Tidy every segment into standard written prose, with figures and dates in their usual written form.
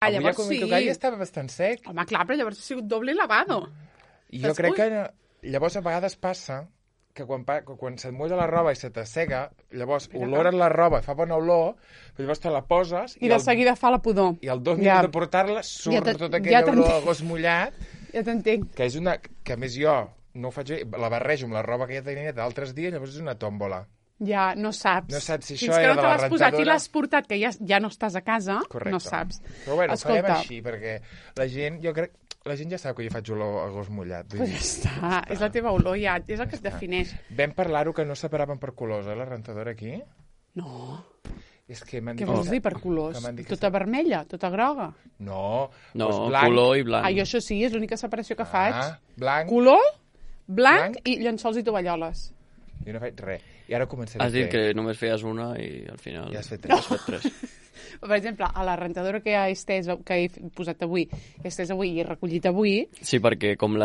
Avui llavors quan m'hi sí. tocava ja estava bastant sec. Home, clar, però llavors ha sigut doble lavado. I jo crec que llavors a vegades passa que quan se't mulla la roba i se t'assega, llavors olores la roba, fa bona olor, però llavors te la poses... I de seguida fa la pudor. I al 2 minuts de portar-la surt tota aquella olor a gos mullat. Ja t'entenc. Que és una... Que a més jo no ho faig bé, la barrejo amb la roba que ja tenia d'altres dies, llavors és una tòmbola. Ja, no saps. No saps si Fins això era de la Fins que no te l'has posat i rentadora. l'has portat, que ja no estàs a casa, Correcte. no saps. Però bueno, Escolta, farem així, perquè la gent, jo crec... La gent ja sap que jo faig olor a gos mullat. Pues ja està, és la teva olor, ja, és el que et defineix. Vam parlar-ho que no separaven per colors, la rentadora aquí? No. És que m'han Què dit... vols dir per colors? Tota vermella, tota groga? No, blanc. Color i blanc. Jo això sí, és l'única separació que faig. Blanc. Color, blanc i llençols i tovalloles. Jo no faig res. I ara començaré Has dit que només feies una i al final... Ja has fet 3. No. Has fet 3. Per exemple, a la rentadora que he posat avui, que he estès avui i he recollit avui... Sí, perquè com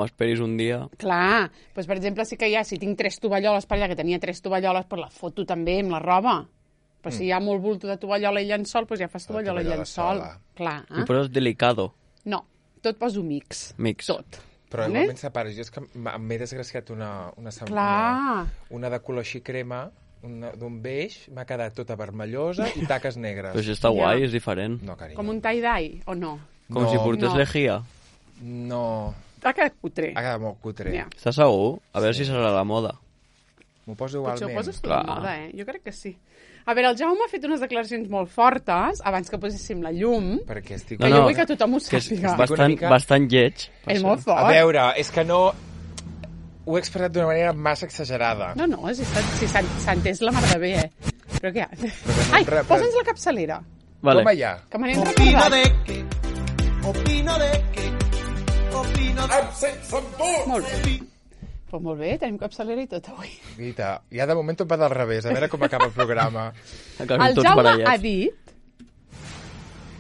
esperis un dia... Clar, doncs per exemple sí que si tinc 3 tovalloles per allà, que tenia 3 tovalloles, però la foto també amb la roba. Però si hi ha molt bulto de tovallola i llençol, doncs ja fas tovallola i llençol. Clar. I poses delicado. No, tot poso mix. Mix. Tot. Però igualment separes. Jo és que m'he desgraciat una de color així crema, d'un beix, m'ha quedat tota vermellosa i taques negres. Però això està guai, és diferent. No, carinyo. Com un tie-dye, o no? Com si portés lejía. No. Ha quedat cutre. Ha quedat molt cutre. Estàs segur? A veure si serà la moda. M'ho poso igualment. Potser ho poses tu de moda, Jo crec que sí. A veure, el Jaume ha fet unes declaracions molt fortes abans que poséssim la llum. Perquè estic... Que jo vull que tothom ho sàpiga. Bastant lleig. És molt fort. A veure, és que no... Ho he expressat d'una manera massa exagerada. No, si s'ha entès la mar de bé, Però què? Ai, posa'ns la capçalera. Vale. Toma ja. Que me n'he recordat. Opino de que... Molt bé. Pues molt bé, tenim capçalera i tot avui. Guita, ja de moment tot va del revés, a veure com acaba el programa. El Jaume ha dit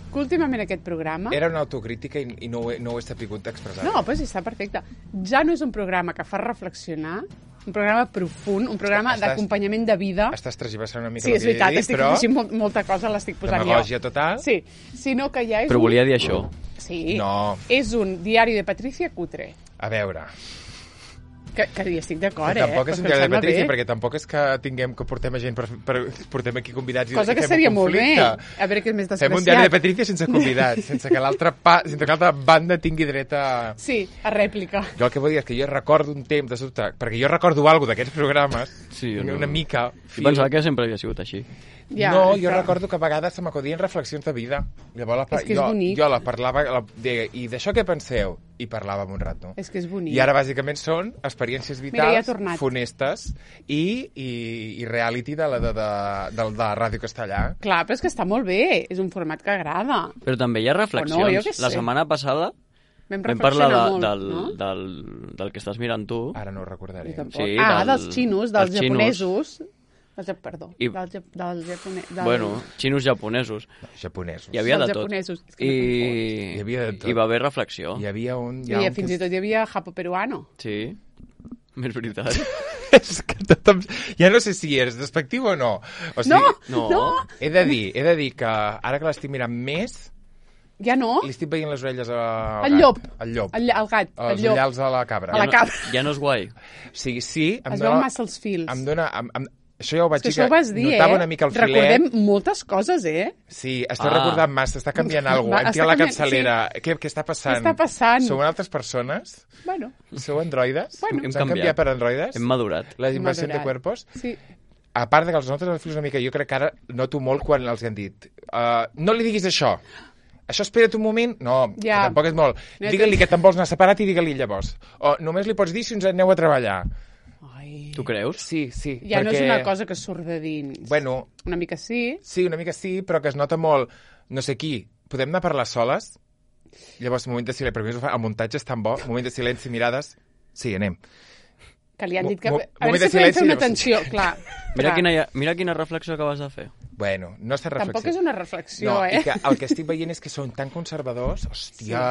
que últimament aquest programa... Era una autocrítica i no ho he sabut expressar. No, però sí, està perfecte. Ja no és un programa que fa reflexionar, un programa profund, un programa d'acompanyament de vida. Estàs tergiversant una mica el que he dit, però... Sí, és veritat, estic afegint molta cosa, l'estic posant jo. Demagògia total. Sí, sinó que ja és Però volia dir això. Sí, no. És un diari de Patricia cutre. A veure... Que hi estic d'acord, Tampoc és un diari de Patricia, perquè tampoc és que tinguem que portem gent portem aquí convidats cosa que seria molt bé. A veure què és més desgraciat. Fem un diari de Patricia sense convidats, sense que l'altra banda tingui dret a... Sí, a rèplica. Jo el que vull dir és que jo recordo un temps de sobte, perquè jo recordo alguna d'aquests programes, una mica... Jo pensava que sempre havia sigut així. Ja, no, jo recordo que a vegades se m'acudien reflexions de vida. Llavors, és que és bonic. Jo la parlava, i d'això què penseu? I parlàvem un rato. És que és bonic. I ara, bàsicament, són experiències vitals, funestes i reality de la Ràdio Castellà. Clar, però és que està molt bé. És un format que agrada. Però també hi ha reflexions. La setmana passada vam parlar del que estàs mirant tu. Ara no ho recordaré. Sí, dels xinos, dels japonesos. Perdó, dels japonesos. Bueno, xinos japonesos. Japonesos. Hi havia de tot. Hi havia de tot. I va haver reflexió. Hi havia fins i tot hi havia japo-peruano. Sí, és veritat. És que tothom... Ja no sé si eres despectiu o no. O sigui, no. He de dir que ara que l'estic mirant més... Ja no? Li estic veient les orelles al gat. Llop. Al llop. El gat. Els ullals a la cabra. A la cabra. Ja no és guai. Sí. Es veuen massa els fils. Em dona... Això ja ho vaig dir, que notava una mica el filet. Recordem moltes coses, Sí, estàs recordant massa, està canviant alguna cosa. Hem tirat la capçalera. Sí. Què està passant? Què està passant? Sou altres persones? Bueno. Sou androides? Bueno. S'han canviat per androides? Hem madurat. La invasió de cuerpos? Sí. A part de que els notes els fils una mica, jo crec que ara noto molt quan els han dit no li diguis això. Això espera't un moment? No, que tampoc és molt. Digue-li que te'n vols anar separat i digue-li llavors. O només li pots dir si ens aneu a treballar. Tu creus? Sí. Ja no és una cosa que surt de dins. Bueno... Una mica sí. Sí, una mica sí, però que es nota molt... No sé qui. Podem anar a parlar soles? Llavors, moment de silenci. Per mi el muntatge és tan bo. Moment de silenci, mirades... Sí, anem. Que li han dit que... A veure si podem fer una atenció, clar. Mira quina reflexió acabes de fer. Bueno, no està reflexió. Tampoc és una reflexió, No, i que el que estic veient és que són tan conservadors. Hòstia...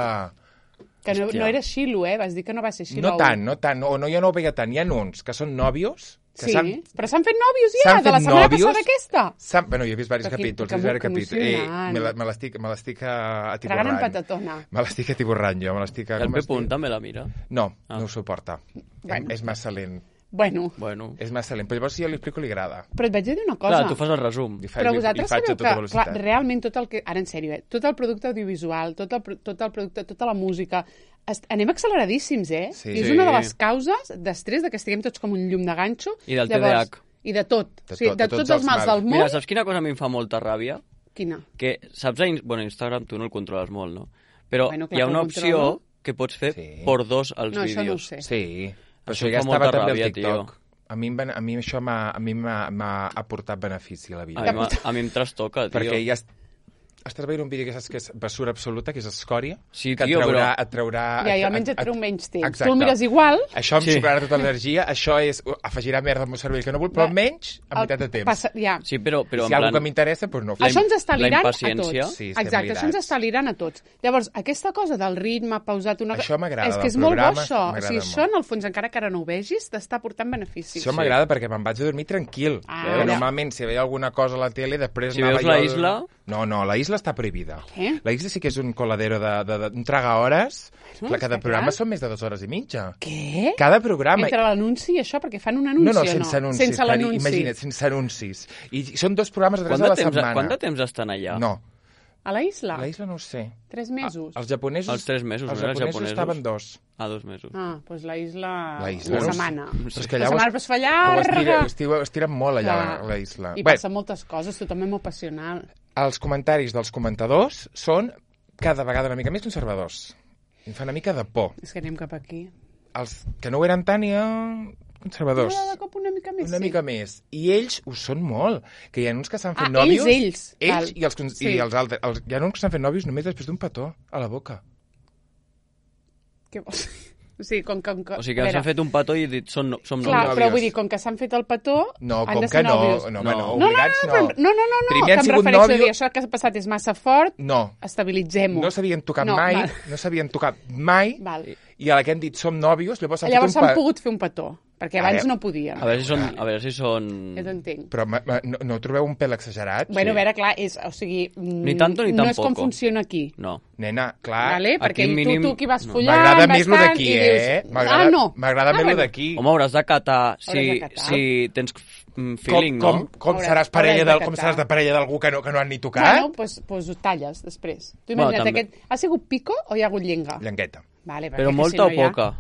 Que no era xilo, Vas dir que no va ser xilo. No tant. O no, jo no ho veia tant. Hi ha uns que són nòvios Sí, però s'han fet nòvios ja, de la setmana passada aquesta. Bueno, jo he vist diversos capítols. Me l'estic atiborrant. Tragant en patatona. Me l'estic atiborrant, jo. El Pepun també la mira? No, no ho suporta. És massa lent. Bueno. És massa lent, però llavors si jo li explico li agrada. Però et vaig dir una cosa. Clar, tu fas el resum. Però vosaltres sabeu que, clar, realment tot el que... Ara, en sèrio, tot el producte audiovisual, tot el producte, tota la música... Anem acceleradíssims, Sí. I és una de les causes d'estrès de que estiguem tots com un llum de ganxo. I del TDAH. I de tot. De tots els mals del món. Mira, saps quina cosa a mi em fa molta ràbia? Quina? Que, saps, Instagram tu no el controles molt, no? Però hi ha una opció que pots fer por dos als vídeos. No, això no ho sé. Sí. Però això ja estava també al TikTok. A mi això m'ha aportat benefici a la vida. A mi em trastoca, tio. Perquè ja estàs veient un vídeo que saps que és basura absoluta, que és escòria, sí, que et traurà... Ja, almenys et treu menys temps. Tu el mires igual... Això em sobrarà tota l'energia, això afegirà merda al meu cervell que no vull, però almenys a meitat de temps. Sí, però si hi ha alguna que m'interessa, doncs no. Això ens està lirant a tots. Sí, exacte, això ens està lirant a tots. Llavors, aquesta cosa del ritme pausat... Això m'agrada, és que és molt bo, això. O sigui, això, en el fons, encara que ara no ho vegis, t'està portant beneficis. Això m'agrada perquè me'n vaig a dormir tranquil. Normalment, si veia alguna cosa a la tele, després... Si veus la Isla... No, la Isla està prohibida. La Isla sí que és un coladero d'un traga-hores, que cada programa són més de 2 hores i mitja. Què? Cada programa. Entre l'anunci i això, perquè fan un anunci, no, sense anuncis. Sense l'anunci. Imagina't, sense anuncis. I són 2 programes o 3 a la setmana. Quant de temps estan allà? No. A la Isla? A la Isla no ho sé. 3 mesos? Els japonesos... Els 3 mesos, els japonesos estaven 2. 2 mesos. Doncs la Isla... Una setmana. Però és que la setmana es fa llarga. Estiren molt allà a la Isla. I passen moltes coses, tothom és molt passional. Els comentaris dels comentadors són cada vegada una mica més conservadors. Em fa una mica de por. És que anem cap aquí. Els que no ho eren tant ja... conservadors. No, de cop una mica més, Una mica més. I ells ho són molt. Que hi ha uns que s'han fet nòvios... Ells. Ells i els altres. Hi ha uns que s'han fet nòvios només després d'un petó a la boca. Què vols dir? O sigui, o sigui que s'han fet un petó i dit som nòvios. Clar, però vull dir, com que s'han fet el petó, han de ser nòvios. No, obligats no. No, que em refereixo a dir, això que ha passat és massa fort, estabilitzem-ho. No s'havien tocat mai, i a la que hem dit som nòvios, llavors s'han pogut fer un petó. Perquè abans no podien. A veure si són... Ja t'entenc. Però no trobeu un pèl exagerat? Bueno, a veure, clar, o sigui... Ni tanto ni tampoco. No és com funciona aquí. No. Nena, clar... Vale? Perquè tu qui vas follant... M'agrada més lo d'aquí, no. M'agrada més lo d'aquí. Home, hauràs de catar si tens feeling, no? Com seràs de parella d'algú que no han ni tocat? Bueno, doncs ho talles després. Tu imagina't aquest... Ha sigut pico o hi ha hagut llenga? Llengueta. Però molta o poca?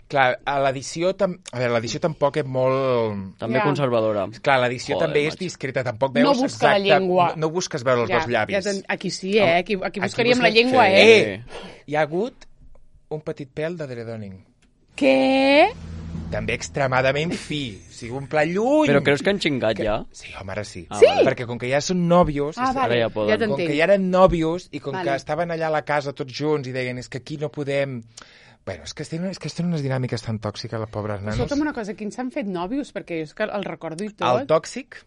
Clar, l'edició tampoc és molt... També conservadora. Clar, l'edició també és discreta, tampoc veus no busca la llengua. No busques veure els dos llavis. Aquí sí, aquí buscaríem la llengua, Hi ha hagut un petit pèl de dredoning. Què? També extremadament fi, o sigui, un pla lluny. Però creus que han xingat ja? Sí, home, ara sí. Sí? Perquè com que ja són nòvios, ara ja poden. Com que ja eren nòvios i com que estaven allà a la casa tots junts i deien és que aquí no podem... Bueno, és que tenen unes dinàmiques tan tòxiques, les pobres nanos. Escolta'm una cosa, quins s'han fet nòvios? Perquè jo és que el recordo i tot. El tòxic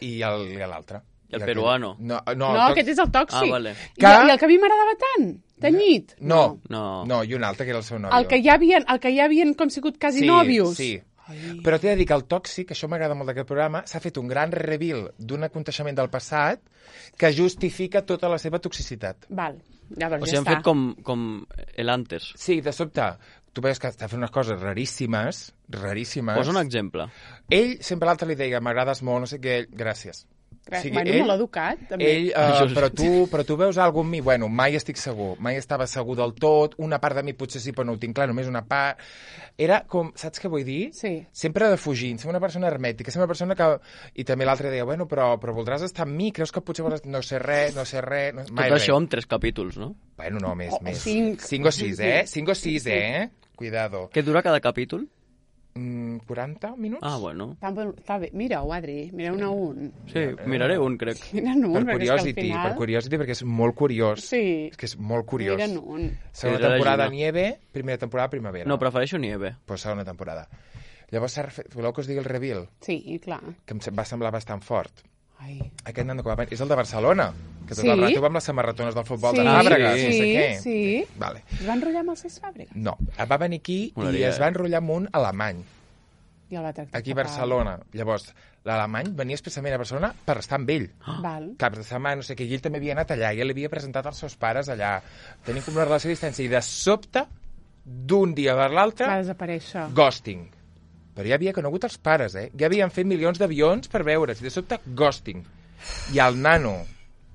i l'altre. I el peruano. No, aquest és el tòxic. Vale. I el que a mi m'agradava tant, tenyit. No, i un altre que era el seu nòvio. El que ja havien com sigut quasi nòvios. Sí. Però t'he de dir que el tòxic, això m'agrada molt d'aquest programa, s'ha fet un gran reveal d'un aconteixement del passat que justifica tota la seva toxicitat. Val, llavors o sigui, han fet com el antes. Sí, de sobte, tu veus que està fent unes coses raríssimes. Posa un exemple. Ell sempre l'altre li deia, m'agrades molt, no sé què, gràcies. O sigui, molt educat, també. Però tu veus alguna en mi? Bueno, mai estic segur. Mai estava segur del tot. Una part de mi potser sí, però no ho tinc clar, només una part. Era com, saps què vull dir? Sí. Sempre defugint, ser una persona hermètica, ser una persona que... I també l'altre deia, bueno, però voldràs estar amb mi? Creus que potser voldràs... No sé res. Tot això en 3 capítols, no? Bueno, no, més. 5 o 6, 5 o 6, Cuidado. Què dura cada capítol? 40 minuts. Ah, bueno. Està bé. Mira-ho, Adri. Mira un a un. Sí, miraré un, crec. Mira'n un, per curiosity, perquè és molt curiós. Sí. És que és molt curiós. Mira'n un. Segona temporada Nieve, primera temporada Primavera. No, prefereixo Nieve. Pues segona temporada. Llavors, voleu que us digui el reveal? Sí, clar. Que em va semblar bastant fort. Ai. Aquest nano que va venir és el de Barcelona, que tot el rato va amb les samarretones del futbol de Fàbregas, no sé què. Sí. Vale. Es va enrotllar amb el Cesc Fàbregas? No, va venir aquí i es va enrotllar amb un alemany. I el va tractar aquí a Barcelona. Llavors, l'alemany venia expressament a Barcelona per estar amb ell. Cap de setmana, no sé què, i ell també havia anat allà, i ell havia presentat els seus pares allà. Tenien com una relació a distància, i de sobte, d'un dia per l'altre, va desaparèixer. Ghosting. Però ja havia conegut els pares, Ja havien fet milions d'avions per veure's, i de sobte, ghosting. I el nano,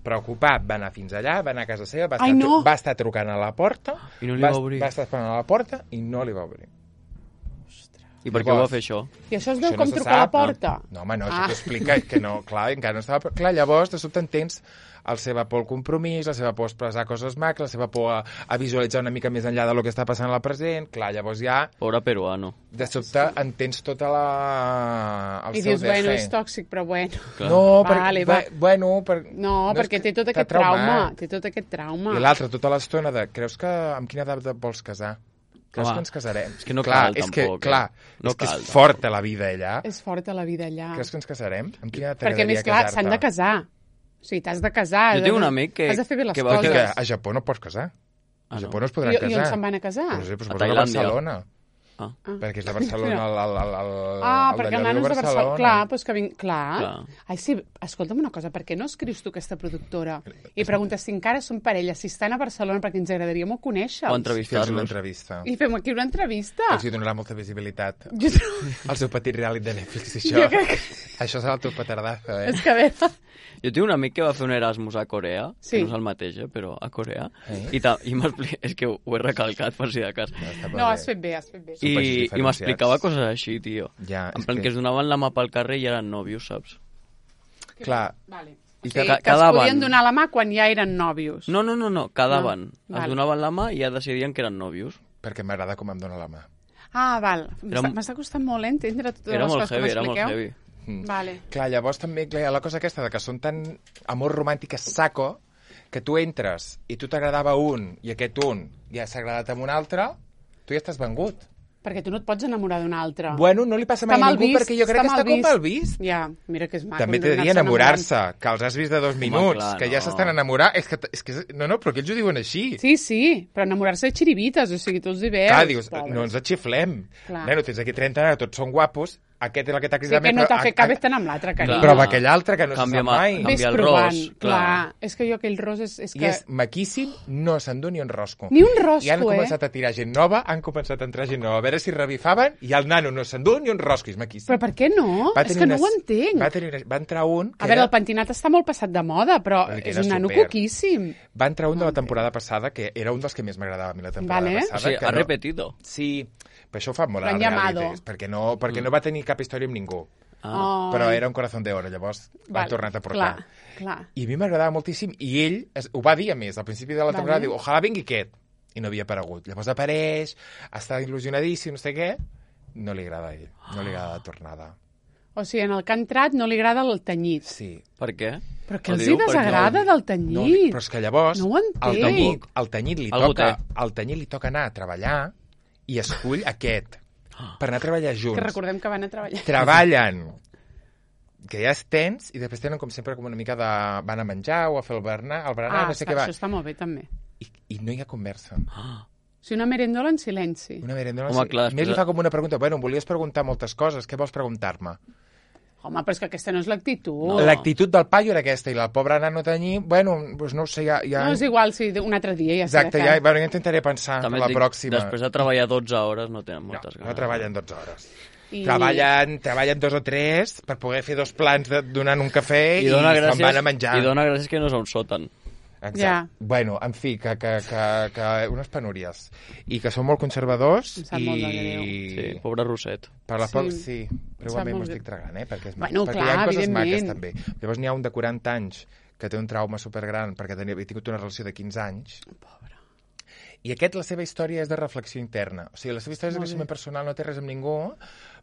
preocupat, va anar fins allà, va anar a casa seva, va estar trucant a la porta, i no li va obrir. Va estar esperant a la porta i no li va obrir. I per què ho va fer això? I això es veu com trucar a la porta? No, home, no, això t'ho explica, que no, clar, encara no estava... Clar, llavors, de sobte entens la seva por al compromís, la seva por a expressar coses maques, la seva por a visualitzar una mica més enllà del que està passant al present, clar, llavors ja... Pobre peruano. De sobte entens tota I dius, bueno, és tòxic, però bueno. No, perquè té tot aquest trauma. Té tot aquest trauma. I l'altre, tota l'estona de... Creus que amb quina edat vols casar? Creus que ens casarem? És que no cal, tampoc. És que és forta la vida allà. És forta la vida allà. Creus que ens casarem? Amb quina edat perquè, més clar, s'han de casar. O sigui, t'has de casar. Jo tinc un amic que... Has de fer bé les coses. Que a Japó no pots casar. A Japó no es podran casar. I on se'n van a casar? A Barcelona. Perquè és de Barcelona perquè el nano és de Barcelona. Clar, doncs que vinc... Clar. Ai, sí, escolta'm una cosa, per què no escrius tu aquesta productora i preguntes si encara són parella, si estan a Barcelona, perquè ens agradaria molt conèixer-los. O entrevistar-los. I fem aquí una entrevista. Els hi donarà molta visibilitat. El seu petit reality de Netflix, això. Això serà el teu petardazo, És que a veure... Jo tinc un amic que va fer un Erasmus a Corea, que no és el mateix, però a Corea, i és que ho he recalcat per si de cas. No, has fet bé. I m'explicava coses així, tio. En plan que es donaven la mà pel carrer i eren nòvios, saps? Clar. O sigui, que es podien donar la mà quan ja eren nòvios. No, quedaven. Es donaven la mà i ja decidien que eren nòvios. Perquè m'agrada com em dona la mà. Val. M'està costant molt entendre totes les coses que m'expliqueu. Era molt heavy. Vale. Clar, llavors també hi ha la cosa aquesta de que són tan amor romàntic saco que tu entres i tu t'agradava un i aquest un ja s'ha agradat amb un altre, tu ja estàs vengut. Perquè tu no et pots enamorar d'un altre. Bueno, no li passa mai a ningú perquè jo crec que està com mal vist. Ja, mira que és maco. També t'he de dir enamorar-se, que els has vist de 2 minuts, que ja s'estan enamorant. És que no, però que ells ho diuen així. Sí, però enamorar-se de xirivites, o sigui, tu els hi veus. Clar, dius, no ens atxiflem. Neno, tens aquí 30 anys, tots són guapos, aquest és el que t'ha cridat més. Sí, que no t'ha fet cap estar amb l'altre, carinyo. Però amb aquell altre que no se sap mai. Canvia el ros. Clar, és que jo aquell ros és que... I és maquíssim, no s'endú ni un rosco. Ni un rosco, I han començat a tirar gent nova, han començat a entrar gent nova, a veure si revifaven, i el nano no s'endú ni un rosco, és maquíssim. Però per què no? És que no ho entenc. Va entrar un... A veure, el pentinat està molt passat de moda, però és un nano coquíssim. Va entrar un de la temporada passada, que era un dels que més m'agradava a mi la temporada passada. O sigui, ha repetido. Sí, però això ho fa molt a la realitat, perquè no va tenir cap història amb ningú. Però era un corazón de oro, llavors l'han tornat a portar. Clar. I a mi m'agradava moltíssim, i ell ho va dir a més, al principi de la temporada, diu, ojalà vingui aquest, i no havia aparegut. Llavors apareix, està il·lusionadíssim, no sé què, no li agrada a ell, no li agrada la tornada. O sigui, en el que ha entrat no li agrada el tenyit. Sí. Per què? Però què els hi desagrada del tenyit? No, però és que llavors no ho entenc. el tenyit li toca anar a treballar i escull aquest per anar a treballar junts. Que recordem que van a treballar. Treballen, que ja és tens, i després tenen com sempre com una mica de... van a menjar o a fer el berenar, no sé què va. Això està molt bé, també. I no hi ha conversa. Sí, una merendola en silenci. Una merendola en silenci. Clar, més li fa com una pregunta. Bueno, em volies preguntar moltes coses, què vols preguntar-me? Home, però és que aquesta no és l'actitud. No. L'actitud del paio era aquesta, i la pobra nano tenyir, bueno, doncs no ho sé, ja... No, és igual, sí, un altre dia ja exacte, ja intentaré pensar també la pròxima. Després de treballar 12 hores no tenen moltes ganes. No treballen 12 hores. Treballen 2 o 3 per poder fer 2 plans donant un cafè i se'n van a menjar. I dona gràcies que no és un sòtan. Exacte. Ja. Bueno, en fi, que unes penúries. I que són molt conservadors. Em sap molt de greu. Sí, pobre Roset. Per la sí, però igualment m'ho estic tragant, perquè clar, hi ha coses maques també. Llavors n'hi ha un de 40 anys que té un trauma supergran perquè havia tingut una relació de 15 anys. Pobre. I la seva història és de reflexió interna. O sigui, la seva història és de creixement personal, no té res amb ningú,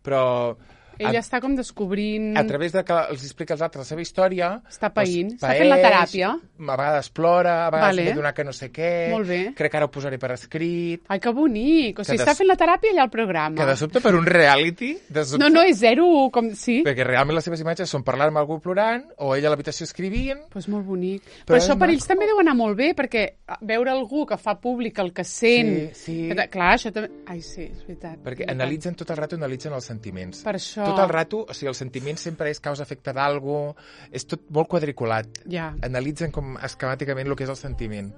però Ella està com descobrint... A través de que els explica als altres la seva història... Està païnt, està fent la teràpia. A vegades plora, a vegades m'he donat que no sé què... Molt bé. Crec que ara ho posaré per escrit... Ai, que bonic! O sigui, està fent la teràpia allà al programa. Que de sobte per un reality... No, és zero, com... Sí. Perquè realment les seves imatges són parlar amb algú plorant o ella a l'habitació escrivint... Pues molt bonic. Però això per ells també deu anar molt bé, perquè veure algú que fa públic el que sent... Sí. Clar, això també... Ai, sí, és veritat. Perquè analitzen tot el rato, analitzen els sentiments. Per això... Tot el rato, o sigui, el sentiment sempre és causa-efecte d'algú, és tot molt quadriculat. Ja. Analitzen com esquemàticament el que és el sentiment.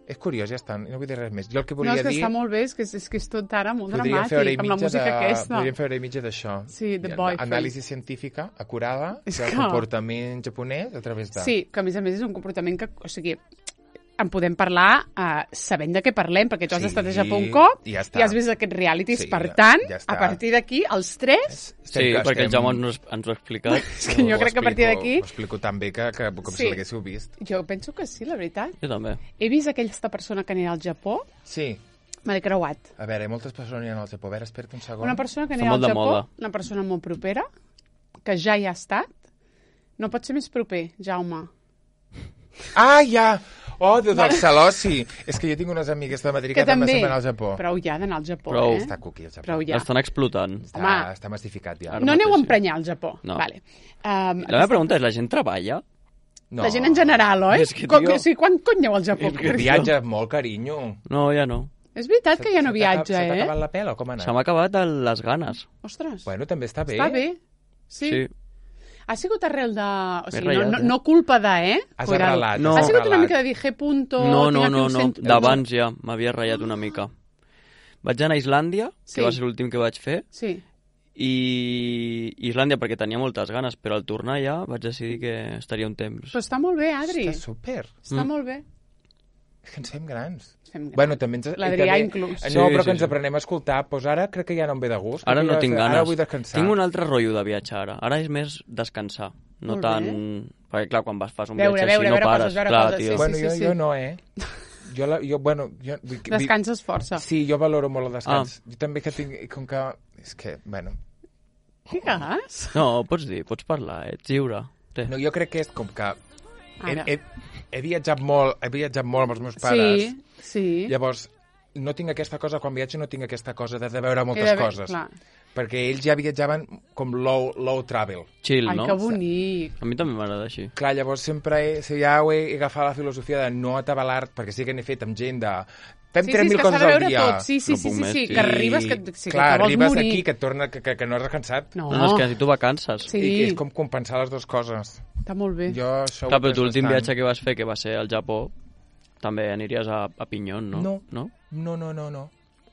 És curiós, ja està, no vull dir res més. Jo el que volia dir... No, és que està molt bé, és que és tot ara molt dramàtic, amb la música aquesta. Podríem fer hora i mitja d'això. Sí, The Boyfriend. Anàlisi científica, acurada, del comportament japonès a través de... Sí, que a més és un comportament que... O sigui, en podem parlar sabent de què parlem, perquè tu has estat a Japó un cop i has vist aquests realities, per tant, a partir d'aquí, els tres... Sí, perquè el Jaume ens ho ha explicat. És que jo crec que a partir d'aquí... Ho explico tan bé que com si l'haguéssiu vist. Jo penso que sí, la veritat. Jo també. He vist aquesta persona que anirà al Japó. Sí. Me l'he creuat. A veure, moltes persones aniran al Japó. A veure, espera't un segon. Una persona que anirà al Japó, una persona molt propera, que ja hi ha estat. No pot ser més proper, Jaume. Ah, ja! Oh, del Salosi. És que jo tinc unes amigues de Madrid que també se'n van al Japó. Prou ja d'anar al Japó, Està cuqui al Japó. Prou ja. L'estan explotant. Està massificat ja. No aneu a emprenyar al Japó. No. Vale. La meva pregunta és, la gent treballa? No. La gent en general, oi? És que, tio... Quan cony aneu al Japó? Viatja molt, carinyo. No, ja no. És veritat que ja no viatja, Se t'ha acabat la pela o com ha anat? Se m'ha acabat les ganes. Ostres. Bueno, també està bé. Està bé. Sí. Ha sigut arrel de... O sigui, no culpa de, Has arrelat. No. Ha sigut una mica de dije punto... No. D'abans ja m'havia ratllat una mica. Vaig anar a Islàndia, que va ser l'últim que vaig fer. Sí. I Islàndia perquè tenia moltes ganes, però al tornar ja vaig decidir que estaria un temps. Però està molt bé, Adri. Està súper. Està molt bé. És que ens fem grans. Bueno, també l'Adrià inclús. No, però que ens aprenem a escoltar. Doncs ara crec que ja no em ve de gust. Ara no tinc ganes. Ara vull descansar. Tinc un altre rotllo de viatjar ara. Ara és més descansar. No tant... Perquè, clar, quan fas un viatge així no pares. Bueno, jo no, Descanses força. Sí, jo valoro molt el descans. Jo també que tinc... Com que... És que, bueno... Digues? No, pots dir, pots parlar, ets lliure. No, jo crec que és com que... He viatjat molt amb els meus pares. Sí. Llavors, no tinc aquesta cosa, quan viatjo no tinc aquesta cosa de veure moltes coses. Clar. Perquè ells ja viatjaven com low travel. Chill, no? Ai, que bonic. A mi també m'agrada així. Clar, llavors sempre ja he agafat la filosofia de no atabalar, perquè sí que n'he fet amb gent de... Fem 3.000 coses al dia. Sí, que arribes, que te vols arribes morir. aquí, que et torna, que no has descansat. No, és que si tu vacances. Sí. I és com compensar les dues coses. Està molt bé. Clar, però tu l'últim viatge que vas fer, que va ser al Japó, també aniries a Pinyón, no? No.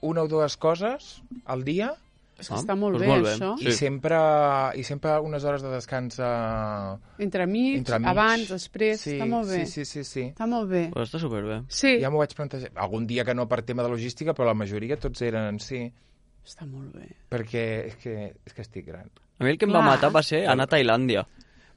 Una o dues coses al dia. És que està molt bé, això. I sempre unes hores de descans entremig, abans, després, està molt bé. Sí. Està molt bé. Però està superbé. Sí. Ja m'ho vaig plantejar. Algun dia que no per tema de logística, però la majoria tots eren, sí. Està molt bé. Perquè és que estic gran. A mi el que em va matar va ser anar a Tailàndia.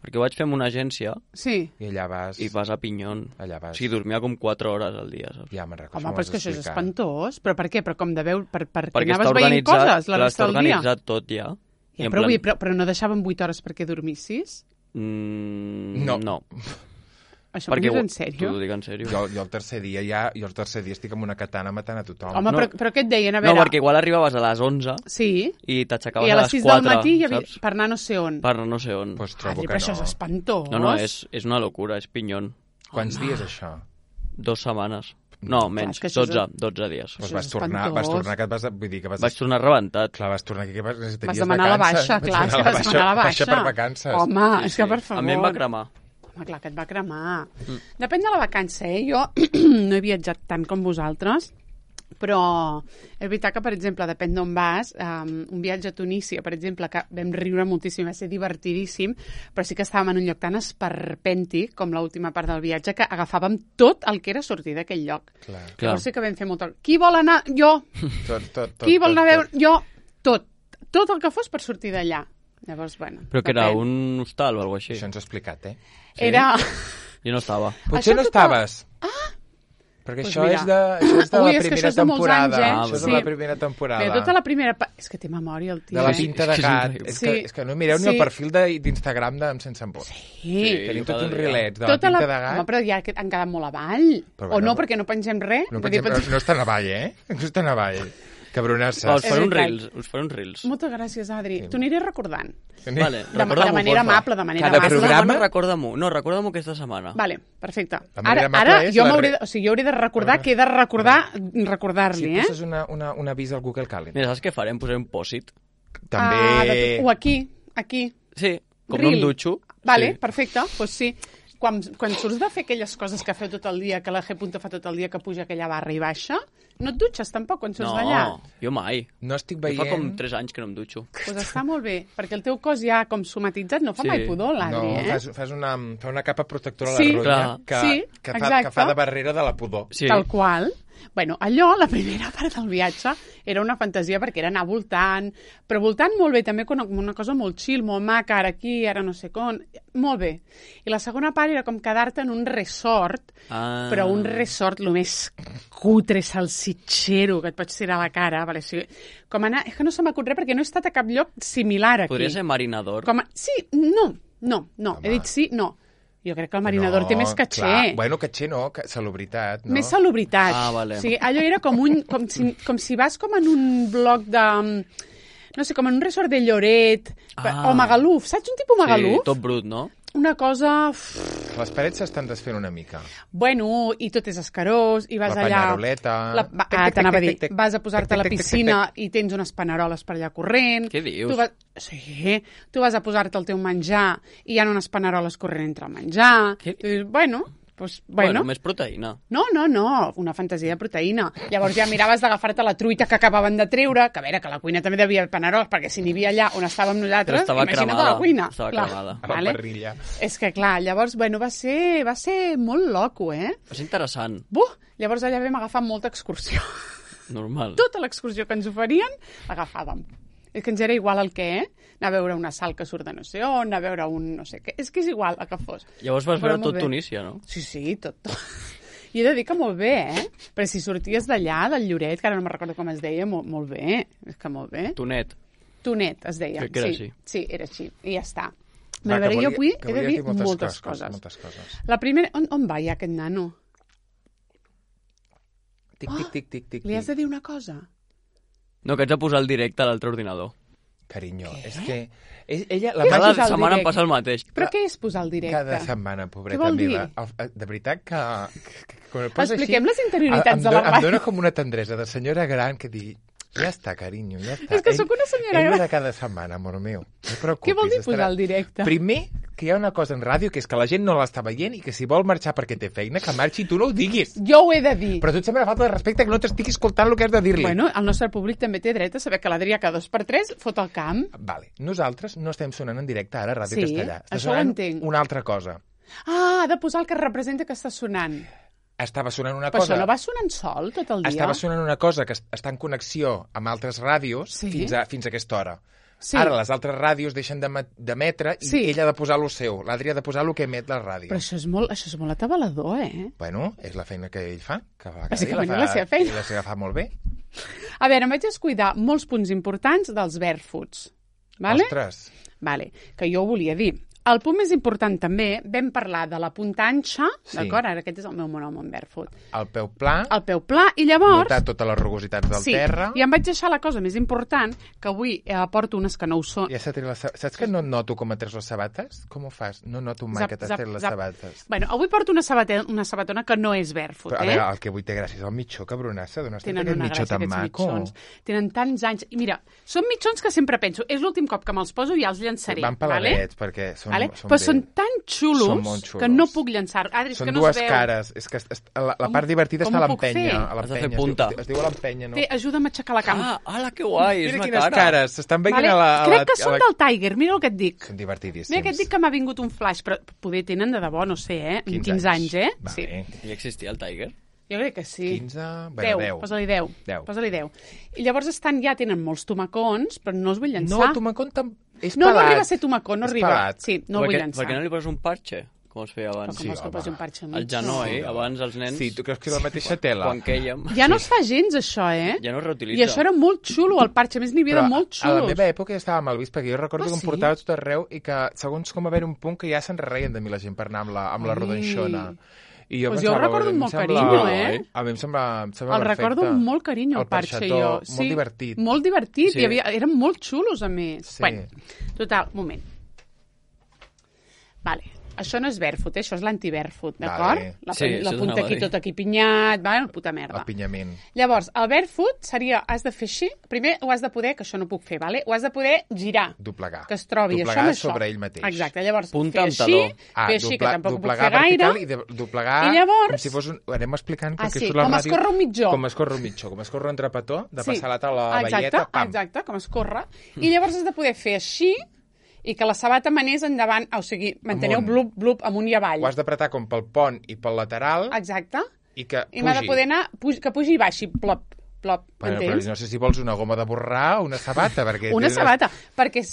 Perquè ho vaig fer amb una agència i allà vas... I vas a Pinyón. Allà vas. O sigui, dormia com 4 hores al dia, saps? Ja me'n recordo. Home, però és que això és espantós. Però per què? Però com de veure... Perquè anaves veient coses la resta del dia? Està organitzat tot, ja. Ja, però no deixaven 8 hores perquè dormissis? No. Això m'ho dius en sèrio? T'ho dic en sèrio. Jo el tercer dia estic amb una katana matant a tothom. Home, però què et deien? A veure... No, perquè igual arribaves a les 11 i t'aixecaves a les 4, I a les 6 del matí saps? Per anar no sé on. Per anar no sé on. Pues trobo que però això és espantós. No, és una locura, és Pinyón. Quants dies, això? 2 setmanes. No, menys, 12 dies. Pues vas tornar que vull dir que vaig tornar rebentat. Clar, vas tornar que vas demanar la baixa, clar, és que vas demanar la baixa. Per vacances. Home, és que per favor. A mi em va cremar. Home, clar que et va cremar. Depèn de la vacança, Jo no he viatjat tant com vosaltres, però és veritat que, per exemple, depèn d'on vas, un viatge a Tunísia, per exemple, que vam riure moltíssim, va ser divertidíssim, però sí que estàvem en un lloc tan esperpèntic com l'última part del viatge que agafàvem tot el que era sortir d'aquell lloc. Llavors sí que vam fer molt... Qui vol anar? Jo! Qui vol anar a veure? Jo! Tot el que fos per sortir d'allà. Llavors, bueno... Però que era un hostal o alguna cosa així. Això ens ha explicat, Sí? Era... Jo no estava. Potser no estaves. Perquè això és de la primera temporada. Això és de la primera temporada. Bé, tota la primera... És que té memòria, el tio. De la pinta de gat. És que no mireu ni el perfil d'Instagram Sense Embot. Sí. Tenim tots uns rilets de la pinta de gat. Home, però ja han quedat molt avall. O no, perquè no pengem res. No estan avall, No estan avall. Cabronasses. Us faré uns reels. Moltes gràcies, Adri. T'ho aniré recordant. Vale, de manera amable, de manera amable. Cada programa? Recorda-m'ho aquesta setmana. Vale, perfecte. Ara jo hauré de recordar que he de recordar-li, Si poses un avís al Google Calendar. Mira, saps què farem? Posarem un pòsit. També... O aquí. Sí, com no em dutxo. Vale, perfecte, doncs sí. Quan surts de fer aquelles coses que feu tot el dia, que la G. fa tot el dia, que puja aquella barra i baixa, no et dutxes tampoc quan surts d'allà? No, jo mai. No estic veient... Fa com 3 anys que no em dutxo. Doncs està molt bé, perquè el teu cos ja com somatitzat no fa mai pudor, l'Adri, fas una capa protectora a la ronya que fa de barrera de la pudor. Sí. Tal qual. Bueno, allò, la primera part del viatge, era una fantasia perquè era anar voltant, però voltant molt bé, també com una cosa molt chill, molt maca, ara aquí, ara no sé com, molt bé. I la segona part era com quedar-te en un resort, però un resort el més cutre, salsitxero, que et pots tirar a la cara. Vale? O sigui, com anar... És que no se m'acut res perquè no he estat a cap lloc similar aquí. Podria ser marinador? Sí, no. He dit sí, no. Jo crec que el marinador té més caché. Clar. Bueno, caché no, salubritat, no? Més salubritat. Vale. O sigui, allò era com si vas com en un bloc de... No sé, com en un resort de Lloret, o Magaluf. Saps un tipus Magaluf? Sí, tot brut, no? Una cosa... Les parets s'estan desfent una mica. Bueno, i tot és escarós, i vas allà... La panyaroleta... T'anava a dir, vas a posar-te a la piscina i tens unes paneroles per allà corrent. Què dius? Sí, tu vas a posar-te el teu menjar i hi ha unes paneroles corrent entre el menjar. Bueno, més proteïna. No, una fantasia de proteïna. Llavors ja miraves d'agafar-te la truita que acabaven de treure, que a veure, que la cuina també devia haver paneroles, perquè si n'hi havia allà on estàvem nosaltres, imagina't a la cuina. Estava cremada. A la parrilla. És que clar, llavors, bueno, va ser molt loco, Va ser interessant. Llavors allà vam agafar molta excursió. Normal. Tota l'excursió que ens oferien, l'agafàvem. És que ens era igual el què, anar a veure una sal que surt de no sé on, anar a veure un no sé què. És que és igual el que fos. Llavors vas veure tot Tunísia, no? Sí, tot. I he de dir que molt bé, Però si sorties d'allà, del Lloret, que ara no me'n recordo com es deia, molt bé. És que molt bé. Tonet es deia. Crec que era així. Sí, era així. I ja està. Jo avui he de dir moltes coses. La primera... On va ja aquest nano? Tic. Li has de dir una cosa? No, que ets a posar el directe a l'altre ordinador. Carinyo, què? És que... Ella, cada setmana em passa el mateix. Però què és posar el directe? Cada setmana, pobreta meva. De veritat que expliquem les interioritats de la ràdio. Em dóna com una tendresa de senyora gran que digui, ja està, carinyo, ja està. És que sóc una senyora gran. Ell de cada setmana, amor meu. No preocupis. Què vol dir posar el directe? Primer, que hi ha una cosa en ràdio que és que la gent no l'està veient i que si vol marxar perquè té feina, que marxi i tu no ho diguis. Jo ho he de dir. Però tu et sembla falta de respecte que no t'estigui escoltant el que has de dir-li. Bueno, el nostre públic també té dret a saber que l'Adrià cada 2x3 fot el camp. Vale. Nosaltres no estem sonant en directe ara a Ràdio Castellà. Sí, això ho entenc. Una altra cosa. Ha de posar el que representa que està sonant. Estava sonant una cosa... Però això no va sonant sol tot el dia? Estava sonant una cosa que està en connexió amb altres ràdios fins a aquesta hora. Sí. Ara les altres ràdios deixen d'emetre i ella ha de posar lo seu. L'Adri ha de posar el que emet la ràdio. Però això és molt atabalador, Bueno, és la feina que ell fa. Que bàsicament la seva feina. I la seva fa molt bé. A veure, em vaig descuidar molts punts importants dels barefoots. Vale? Ostres. Vale, que jo ho volia dir. El punt més important també, vam parlar de la puntanxa, d'acord? Ara aquest és el meu monònom en barefoot. El peu pla. El peu pla, i llavors... Notar totes les rugositats del terra. I em vaig deixar la cosa més important, que avui porto unes que no ho són. Ja saps que no noto com et treus les sabates? Com ho fas? No noto mai que t'has tret les sabates. Bueno, avui porto una sabatona que no és barefoot, Però, a veure, el que avui té gràcia és el mitjó, cabronassa. D'on has tret aquest mitjó tan maco? Tenen tants anys. I mira, són mitjons que sempre penso, és l'últim cop que me'ls poso i ja els llançaré. Van peladets, perquè però són tan xulos que no puc llançar. Adri, són dues cares. És que la part divertida està a l'empenya. Has de fer punta. Es diu a l'empenya, no? Té, ajuda'm a aixecar la cama. Ala, que guai, és una cara. Mira quines cares, s'estan veient a la... Crec que són del Tiger, mira el que et dic. Són divertidíssims. Mira que et dic que m'ha vingut un flash, però poder tenen de debò, no sé, 15 anys, Sí. Ja existia el Tiger? Jo crec que sí. 15, bueno, 10. Posa-li 10. Posa-li 10. I llavors tenen molts tomacons, però no els vull llançar. No, tomacón és pelat. No arriba a ser tomacó, no arriba. Pelat. Sí, no el vull llançar. Per què no li poses un parche? com es feia abans. Però com es que posi un parxe mig? El genoll, abans els nens... Sí, tu creus que és la mateixa tela? Quan quèiem... Ja no es fa gens, això, Ja no es reutilitza. I això era molt xulo, el parxe. A més, n'hi havia de molt xulos. A la meva època ja estava mal vist, perquè jo recordo que em portava tot arreu i que, segons com haver un punt, que ja se'n reien de mi la gent per anar amb la rodanxona. I jo ho recordo amb molt carinyo, A mi em sembla perfecte. El recordo amb molt carinyo, el parxe, jo. Molt divertit. Molt divertit, eren molt xulos, a més. Bueno, total, moment. Vale. Això no és barefoot, això és l'anti-barefoot, d'acord? La punta aquí, tot aquí pinyat, vale? Puta merda. El pinyament. Llavors, el barefoot seria, has de fer així, primer ho has de poder, que això no puc fer, vale? Ho has de poder girar. Doblegar. Que es trobi doblegar això amb sobre ell mateix. Exacte, llavors punta fer així, que tampoc puc fer gaire. I doblegar I llavors... com si fos un... Ho anem explicant, perquè això és la la ràdio. Com es corre un mitjó. Com es corre un trapetó, de passar la taula a la velleta, pam. Exacte, com es corre. I llavors has de poder fer així, i que la sabata manés endavant, o sigui, manteneu blup, blup, amunt i avall. Ho has d'apretar com pel pont i pel lateral. Exacte. I que pugi. I m'ha de poder anar, que pugi i baixi, plop, plop, bueno, però no sé si vols una goma de borrar o una sabata. Perquè sabata, perquè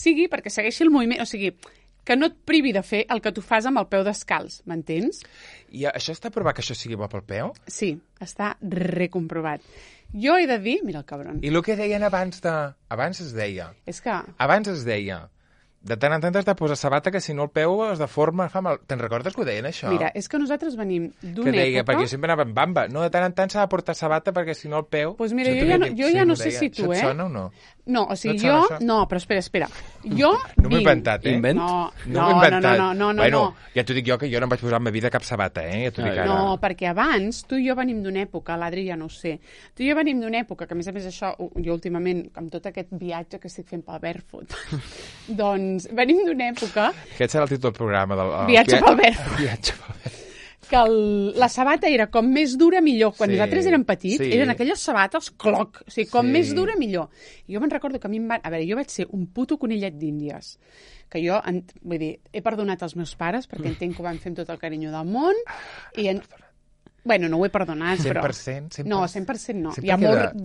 segueixi el moviment, o sigui, que no et privi de fer el que tu fas amb el peu descalç, m'entens? I això està provat que això sigui bo pel peu? Sí, està recomprovat. Jo he de dir, mira el cabron. I el que deien abans es deia... És que... Abans es deia... De tant en tant has de posar sabata, que si no el peu es deforma, fa mal. Te'n recordes que ho deien, això? Mira, és que nosaltres venim d'una que deia, època... perquè jo sempre anava amb bamba. No, de tant en tant s'ha de portar sabata, perquè si no el peu... Doncs mira, jo ja no sé si tu, Això et sona o no? No, o sigui, jo... No, però espera. Jo no m'ho he inventat, Invent? No. Bueno, ja t'ho dic jo, que jo no em vaig posar en ma vida cap sabata, ja t'ho dic ara. No, perquè abans, tu i jo venim d'una època, l'Adri ja no ho sé, tu i jo venim d'una època, que a més això, jo últimament, amb tot aquest viatge que estic fent pel barefoot, doncs venim d'una època... Aquest serà el títol del programa. Viatge pel barefoot. Que la sabata era com més dura millor. Quan nosaltres érem petits, eren aquelles sabates cloc. O sigui, com més dura millor. I jo me'n recordo que a mi em van... A veure, jo vaig ser un puto conillet d'Índies. Que jo, vull dir, he perdonat els meus pares perquè entenc que ho van fer amb tot el carinyo del món. Bueno, no ho he perdonat, però... 100%? No, 100% no. Hi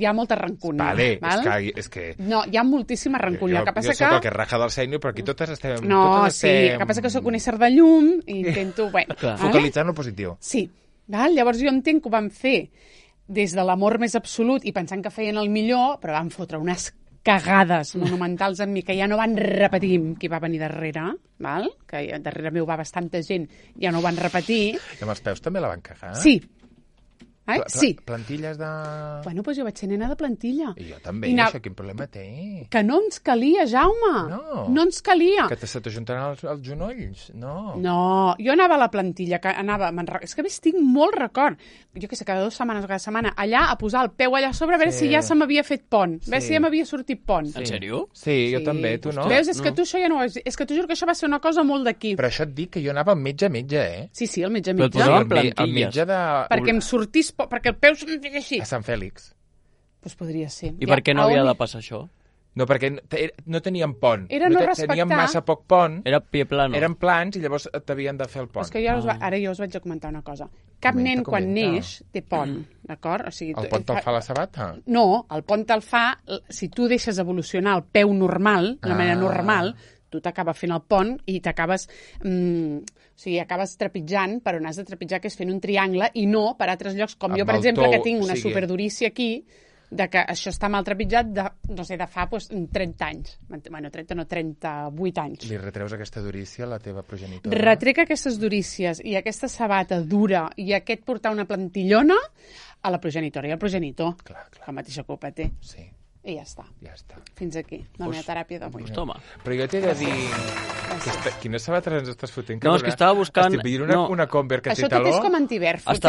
ha molta rancúnia. Vale, val? És que... No, hi ha moltíssima rancúnia. Jo soc el que raja del sènior, però aquí totes estem... No, sí, el que passa que soc un ésser de llum i intento... Bueno, focalitzar en el positiu. Sí. Val? Llavors jo entenc que ho van fer des de l'amor més absolut i pensant que feien el millor, però van fotre unes cagades monumentals en mi, que ja no van repetir qui va venir darrere, val? Que darrere meu va bastanta gent, ja no ho van repetir. I amb els peus també la van cagar? Sí. Sí. Plantilles de... Bueno, doncs jo vaig ser nena de plantilla. I jo també, això quin problema té? Que no ens calia, Jaume. No ens calia. Que se t'ajuntaran els genolls? No. No, jo anava a la plantilla, que anava... És que a més tinc molt record. Jo què sé, cada 2 setmanes o cada setmana, allà, a posar el peu allà a sobre, a veure si ja se m'havia fet pont. A veure si ja m'havia sortit pont. En sèrio? Sí, jo també, tu no? Veus, és que tu això ja no ho has... És que t'ho juro que això va ser una cosa molt d'aquí. Però això et dic que jo anava amb metge, Sí, el metge. Però et posaven plantilles. El metge de... Perquè em sortís... Perquè el peu se'm feia així. A Sant Fèlix. Doncs podria ser. I per què no havia de passar això? No, perquè no teníem pont. Era no respectar... Teníem massa poc pont. Era pie plano. Eren plans i llavors t'havien de fer el pont. És que ara jo us vaig a comentar una cosa. Cap nen quan neix té pont, d'acord? O sigui, el pont te'l fa la sabata? No, el pont te'l fa... Si tu deixes evolucionar el peu normal, d'una manera normal, tu t'acaba fent el pont i t'acabes... O sigui, acabes trepitjant per on has de trepitjar, que és fent un triangle, i no per altres llocs, com jo, per exemple, que tinc una superdurícia aquí, de que això està mal trepitjat de, no sé, de fa 30 anys. Bueno, 30 no, 38 anys. Li retreus aquesta durícia a la teva progenitora? Retrec aquestes durícies i aquesta sabata dura i aquest portar una plantillona a la progenitora i al progenitor. Clar. La mateixa culpa té. Sí. I ja està. Fins aquí, la meva teràpia d'avui. Toma. Però jo t'he de dir... Quines sabates ens estàs fotent? No, és que estava buscant... Estic veient una Converse que té Això taló. tot és com anti-barefoot,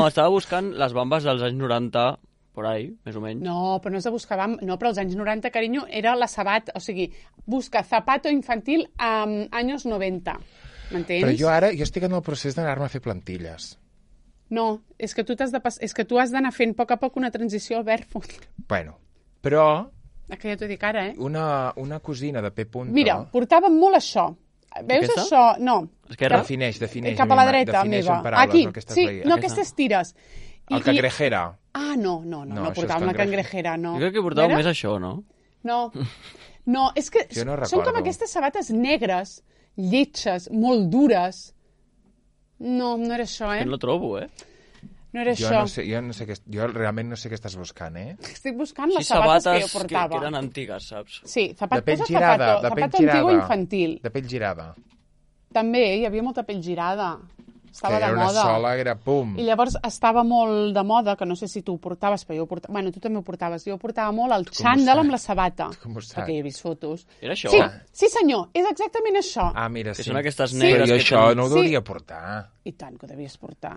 estava buscant les bambes dels anys 90, por ahí, més o menys. No, però no és de buscar no, però als anys 90, carinyo, era la sabata, o sigui, busca zapato infantil anys 90, m'entens? Però jo estic en el procés d'anar-me a fer plantilles. No, és que tu has d'anar fent a poc una transició al barefoot. Bueno, però... Que ja t'ho dic ara, Una cosina de P. Mira, portàvem molt això. Veus aquesta? això? No. Esquerra? Defineix. Cap a la dreta, meva. Aquí, sí, no, aquestes tires. El cangrejera. Ah, no portàvem la cangrejera, no. Jo crec que portàvem més això, no? No, és que són com aquestes sabates negres, lletges, molt dures. No, no era això, Que no trobo, No era això. Jo realment no sé què estàs buscant, Estic buscant les sabates que jo portava. que eren antigues, saps? Sí, de pell girada. zapato antigo infantil. De pell girada. També, hi havia molta pell girada. Estava de moda. Que era una sola, era pum. I llavors estava molt de moda, que no sé si tu ho portaves, però jo ho portava... Bueno, tu també ho portaves. Jo ho portava molt el xandall amb la sabata. Com ho saps? Perquè hi he vist fotos. Era això? Sí, senyor, és exactament això. Ah, mira, sí. Que són aquestes negres jo que això no ho hauria portar. I tant que ho devies portar.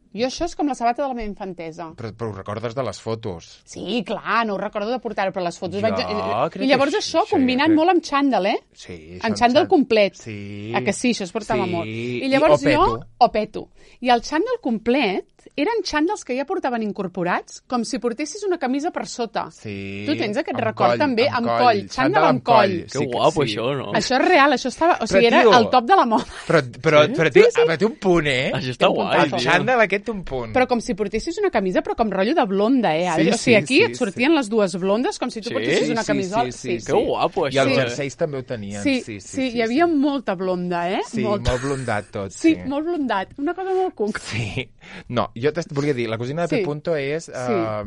Jo això és com la sabata de la meva infantesa. Però ho recordes de les fotos? Sí, clar, no ho recordo de portar-ho, però les fotos... crec I llavors que això combinat molt amb xandall, Sí. En xandall complet. Sí. Que sí, això es portava molt. I I llavors o peto. I el xandall complet eren xandalls que ja portaven incorporats, com si portessis una camisa per sota. Sí. Tu tens aquest record també, amb coll. Xandall amb coll. Que guapo, això, no? Això és real, això estava... O sigui, era el top de la moda. Però té un punt, Això està guai, El xandall aquest té un punt. Però com si portessis una camisa, però com rotllo de blonda, Adri? O sigui, aquí et sortien les dues blondes com si tu portessis una camisola. Sí. Que guapo, això. I els jerseis també ho tenien. Sí, hi havia molta blonda, Sí, molt blondat tot. Sí, molt blondat. Una cosa molt cuc. Sí. No, jo volia dir, la cosina de P. és...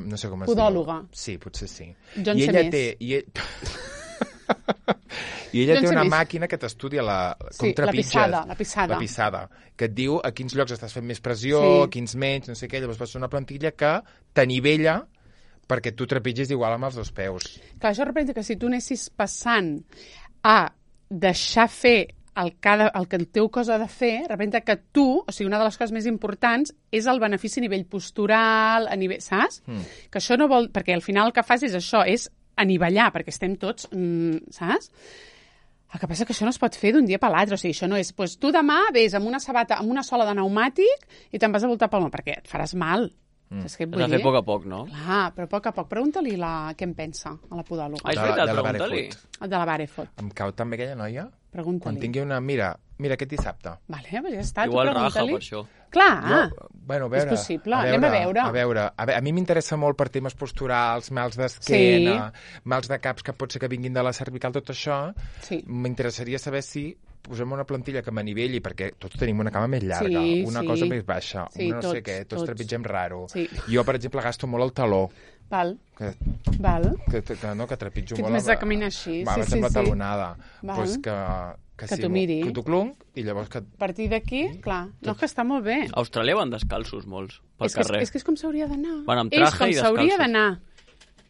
no sé com es diu. Podòloga. Sí, potser sí. Jo en sé més. I ella té una màquina que t'estudia com trepitges. La pissada. Que et diu a quins llocs estàs fent més pressió, a quins menys, no sé què. Llavors vas fer una plantilla que t'anivella perquè tu trepitgis igual amb els dos peus. Clar, això representa que si tu anessis passant a deixar fer el que el teu cos ha de fer, representa que tu, o sigui, una de les coses més importants és el benefici a nivell postural, a nivell, saps? Que això no vol... Perquè al final el que fas és això, és anivellar, perquè estem tots, saps? El que passa que això no es pot fer d'un dia per l'altre, o sigui, això no és... Doncs tu demà vés amb una sabata, amb una sola de pneumàtic i te'n vas a voltar pel món, perquè et faràs mal. Has de fer a poc a poc, no? Clar, però a poc a poc. Pregunta-li què en pensa, a la podòloga. És veritat, pregunta-li. El de la Barefoot. Em cau també aquella noia? Pregunta-li. Quan tingui una... Mira aquest dissabte. Vale, doncs ja està, igual tu pregunta-li. Raja, per això. Clar, a veure, és possible, anem a veure. A mi m'interessa molt per temes posturals, mals d'esquena, mals de caps que pot ser que vinguin de la cervical, tot això. M'interessaria saber si posem una plantilla que m'anivelli, perquè tots tenim una cama més llarga, una cosa més baixa, una no sé què, tots trepitgem raro. Jo, per exemple, gasto molt el taló. Val. Que trepitjo molt... Que ets més de caminar així. Va, sembla talonada. Doncs que t'ho miri. Que t'ho clunc i llavors que... A partir d'aquí, clar. No, que està molt bé. A Austràlia van descalços molts, pel carrer. És que és com s'hauria d'anar. Van amb traje i descalços. És com s'hauria d'anar.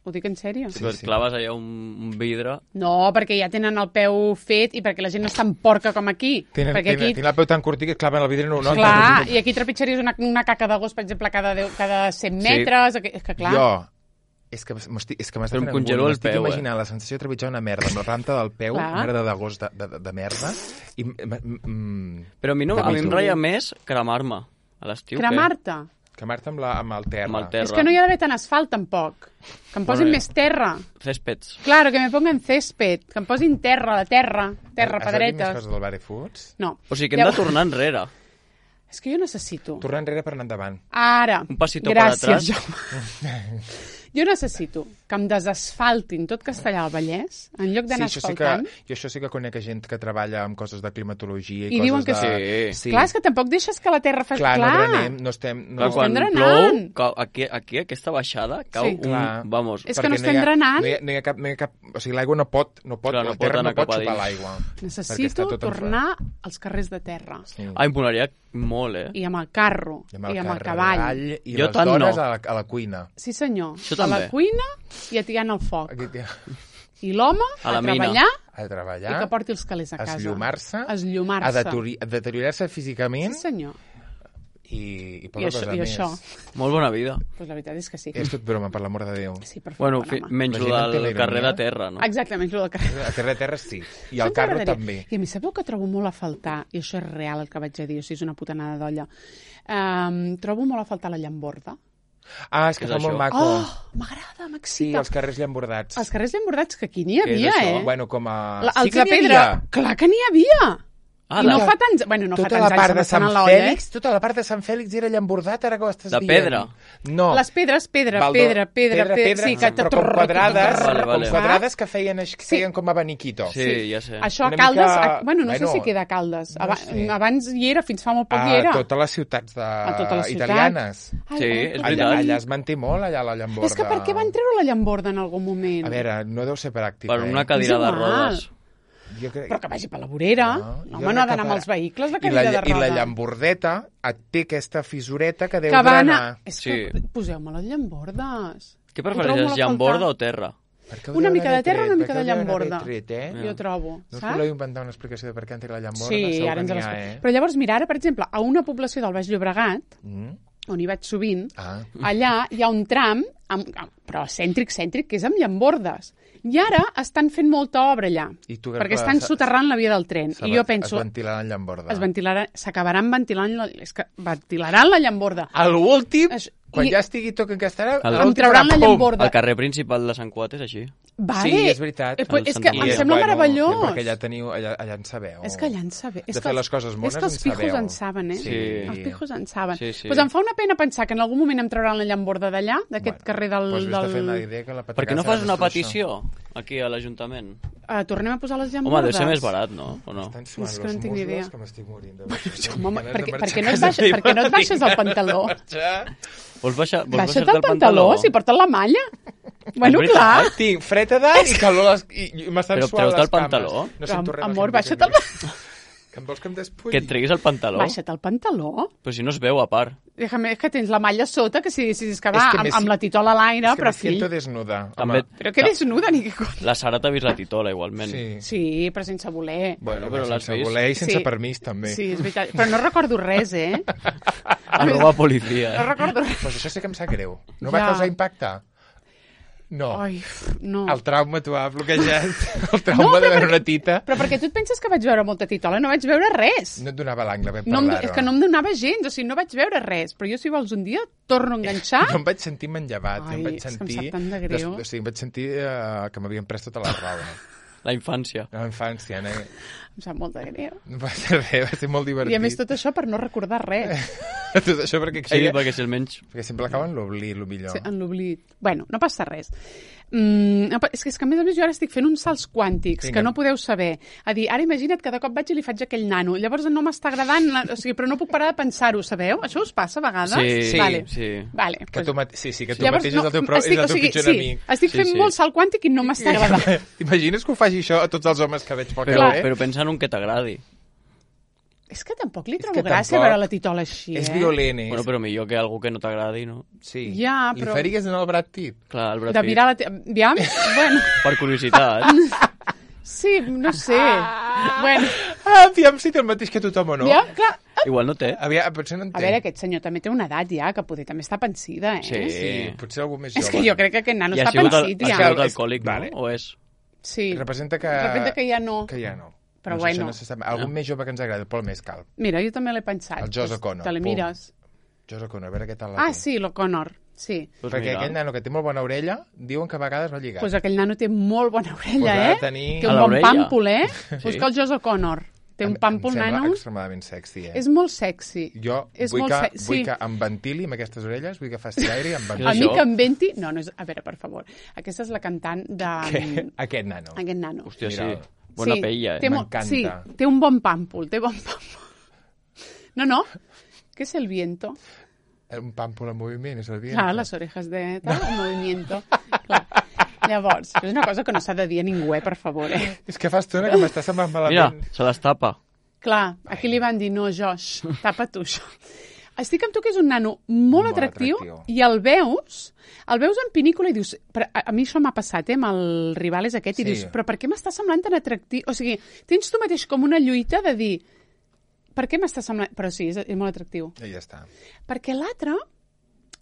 Ho dic en sèrio? Sí. Claves allà un vidre... No, perquè ja tenen el peu fet i perquè la gent no és tan porca com aquí. Tenen el peu tan curtit que claven el vidre no. Clar, i aquí trepitjaries una caca de gos, per exemple, cada 100 metres. És que clar... És que m'està fent congelo el peu, imaginant la sensació de trepitjar una merda amb la ranta del peu, merda de gos de merda. Però a mi em ratlla més cremar-me a l'estiu. Cremar-te? Cremar-te amb el terra. És que no hi ha d'haver tant asfalt, tampoc. Que em posin més terra. Céspeds. Claro, que me pongan césped. Que em posin terra, pedretes. Has de dir més coses del Barefoots? No. O sigui que hem de tornar enrere. És que jo necessito... Tornar enrere per anar endavant. Ara. Un passito per atrás. Jo necessito que em desasfaltin tot Castellar del Vallès, en lloc d'anar asfaltant. Jo això sí que conec gent que treballa amb coses de climatologia i diuen coses que sí. Clar, és que tampoc deixes que la terra faci... Clar, no drenem, no estem... Quan plou, aquí aquesta baixada cau Vamos. És que no estem drenant. No hi ha cap... O sigui, l'aigua no pot... La terra no pot xupar l'aigua. Necessito tornar als carrers de terra. Em molaria molt, I amb el carro, i amb el cavall. I les dones a la cuina. Sí, senyor. A la cuina i atiant el foc. I l'home a treballar i que porti els calés a casa. Esllomar-se. A deteriorar-se físicament. Sí, senyor. I poca cosa més. Això. Molt bona vida. Pues la veritat és que sí. És tot broma, per l'amor de Déu. Sí, per favor. Menys del carrer de terra, no? Exacte, menys del carrer. El carrer de terra sí. I el carro també. I a mi sabeu que trobo molt a faltar, i això és real el que vaig a dir, o sigui, és una putanada d'olla, trobo molt a faltar la llamborda. És que fa molt maco. M'agrada, m'excita. Sí, els carrers llambordats. Els carrers llambordats, que aquí n'hi havia, Bueno, com a... Els de pedra. Clar que n'hi havia. I no fa tants... Bueno, no fa tants anys, estan a l'olla, Tota la part de Sant Fèlix era llambordat, ara que ho estàs dient. De pedra? No. Les pedres, pedra. Sí, però com quadrades que feien com abaniquito. Sí, ja sé. Això a Caldes... Bueno, no sé si queda a Caldes. Abans hi era, fins fa molt poc hi era. A totes les ciutats italianes. Sí, és veritat. Allà es manté molt, allà la llamborda. És que per què van treure la llamborda en algun moment? A veure, no deu ser pràctic. Per una cadira de rodes. Però que vagi per la vorera. Home, no ha d'anar amb els vehicles, la cadira de rodes. I la llambordeta té aquesta fisureta que deu drenar. És que poseu-me les llambordes. Què prefereixes, llamborda o terra? Una mica de terra, una mica de llamborda. Jo trobo, saps? No us voleu inventar una explicació de per què han tret la llamborda? Sí, ara ens l'explico. Però llavors, mira, ara, per exemple, a una població del Baix Llobregat, on hi vaig sovint, allà hi ha un tram, però cèntric, que és amb llambordes. I ara estan fent molta obra allà, perquè estan soterrant la via del tren. I jo penso... Es ventilaran llamborda. S'acabaran ventilaran la llamborda. A l'últim, quan ja estigui tot encastarà, em trauran la llamborda. El carrer principal de Sant Cuat és així. Vale. Sí, és veritat. És que em sembla meravellós. Perquè allà en sabeu. És que allà en sabeu. De fer les coses mones en sabeu. És que els pijos en saben, Sí. Els pijos en saben. Doncs em fa una pena pensar que en algun moment em trauran la llamborda d'allà, d'aquest carrer del... Per què no fas una petició aquí a l'Ajuntament? Tornem a posar les llambordes? Home, deu ser més barat, no? O no? Estan suant els musclos que m'estic morint. Per què no et baixes el pantaló? Vols baixar-te Baixa't el pantaló, si portes la malla. Bueno, clar. Tinc fred a dalt i calor i m'estan suant les cames. Però treu-te el pantaló. Amor, baixa't el pantaló. Que em vols que em despulli? Que et treguis el pantaló. Baixa't el pantaló. Però si no es veu, a part. És que tens la malla sota, que si és que va amb la titola a l'aire, però fill... És que me siento desnuda. Però que desnuda, ni que cosa. La Sara t'ha vist la titola, igualment. Sí, però sense voler. Bueno, però l'has vist. Sense voler i sense permís, també. Sí, és veritat. Però no recordo res, Arroba policia. No recordo res. Pues això sí que em sap greu. No va causar impacte? No. Ai, no. El trauma t'ho ha bloquejat. El trauma de veure una tita. Però perquè tu et penses que vaig veure molta titola? No vaig veure res. No et donava l'angle, vam parlar-ho. És que no em donava gens, o sigui, no vaig veure res. Però jo, si vols, un dia torno a enganxar... Jo em vaig sentir manllevat. Ai, és que em sap tant de greu. O sigui, em vaig sentir que m'havien pres tota la roba. La infància. La infància, no? Em sap molt de greu. No va ser res, va ser molt divertit. I a més tot això per no recordar res. Tot això perquè... Sí, perquè si almenys... Perquè sempre acaba en l'oblit, el millor. Sí, en l'oblit. Bueno, no passa res. És que a més jo ara estic fent uns salts quàntics que no podeu saber. A dir, ara imagina't que de cop vaig i li faig aquell nano. Llavors no m'està agradant, o sigui, però no puc parar de pensar-ho, sabeu? Això us passa a vegades? Sí, vale. sí. Vale, que tu que tu mateix és el teu pitjor enemic. Estic fent molt salt quàntic i no m'està agradant. T'imagines que ho faci això a tots els homes que veig pel carrer? Però pensa en un que t'agradi. És que tampoc li trobo gràcia veure la titola així, És violent, és. Bueno, però millor que algú que no t'agradi, no? Sí. Ja, però... Li faries anar al Brad Pitt? Clar, el Brad Pitt. De mirar la... Aviam, bueno... Per curiositat. Sí, no sé. Bueno... Aviam si té el mateix que tothom o no. Ja, clar. Igual no té. Potser no en té. A veure, aquest senyor també té una edat ja, que poder també està pensida, Sí. Potser algú més jove. És que jo crec que aquest nano està pensit ja. Ha sigut alcohòlic, no? O és? Sí. Representa que ja no. Que ja no. Però bueno. Algun més jove que ens agrada, el Paul Mescal. Mira, jo també l'he pensat. El Josh O'Connor. Te l'emires. Josh O'Connor, a veure què tal la té. Ah, sí, l'O'Connor, sí. Perquè aquell nano que té molt bona orella, diuen que a vegades va lligat. Doncs aquell nano té molt bona orella, Té un bon pàmpol, Busca el Josh O'Connor. Té un pàmpol, nano. Em sembla extremadament sexy, És molt sexy. Jo vull que em ventili amb aquestes orelles, vull que faci aire i em ventili. A mi que em venti... No, és... A veure, per favor. Aquesta és la cantant de... Aquest nano. Aquest nano. Hòstia, sí. Bona pella, m'encanta. Sí, té un bon pàmpol, No. ¿Qué es el viento? Un pàmpol en moviment, és el viento. Clar, les orejas de tal, en movimiento. Clar. Llavors, és una cosa que no s'ha de dir a ningú, per favor, És que fa estona que m'està semblant malament. Mira, se les tapa. Clar, aquí li van dir, no, Josh, tapa tu això. Estic amb tu que és un nano molt atractiu i el veus en pinícula i dius... A mi això m'ha passat, amb el Rivales aquest, i dius, però per què m'està semblant tan atractiu? O sigui, tens tu mateix com una lluita de dir, per què m'està semblant... Però sí, és molt atractiu. I ja està. Perquè l'altre,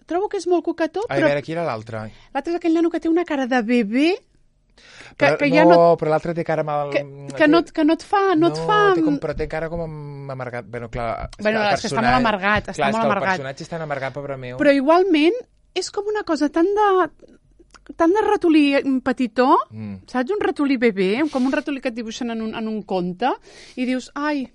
trobo que és molt coquetó, però... A veure, qui era l'altre? L'altre és aquell nano que té una cara de bebè, però l'altre té cara mal... Que no et fa... Però té cara com amargat. Bueno, clar... És que està molt amargat. Clar, és que el personatge és tan amargat, pobre meu. Però igualment és com una cosa tan de ratolí petitó, saps? Un ratolí bebè, com un ratolí que et dibuixen en un conte, i dius, ai,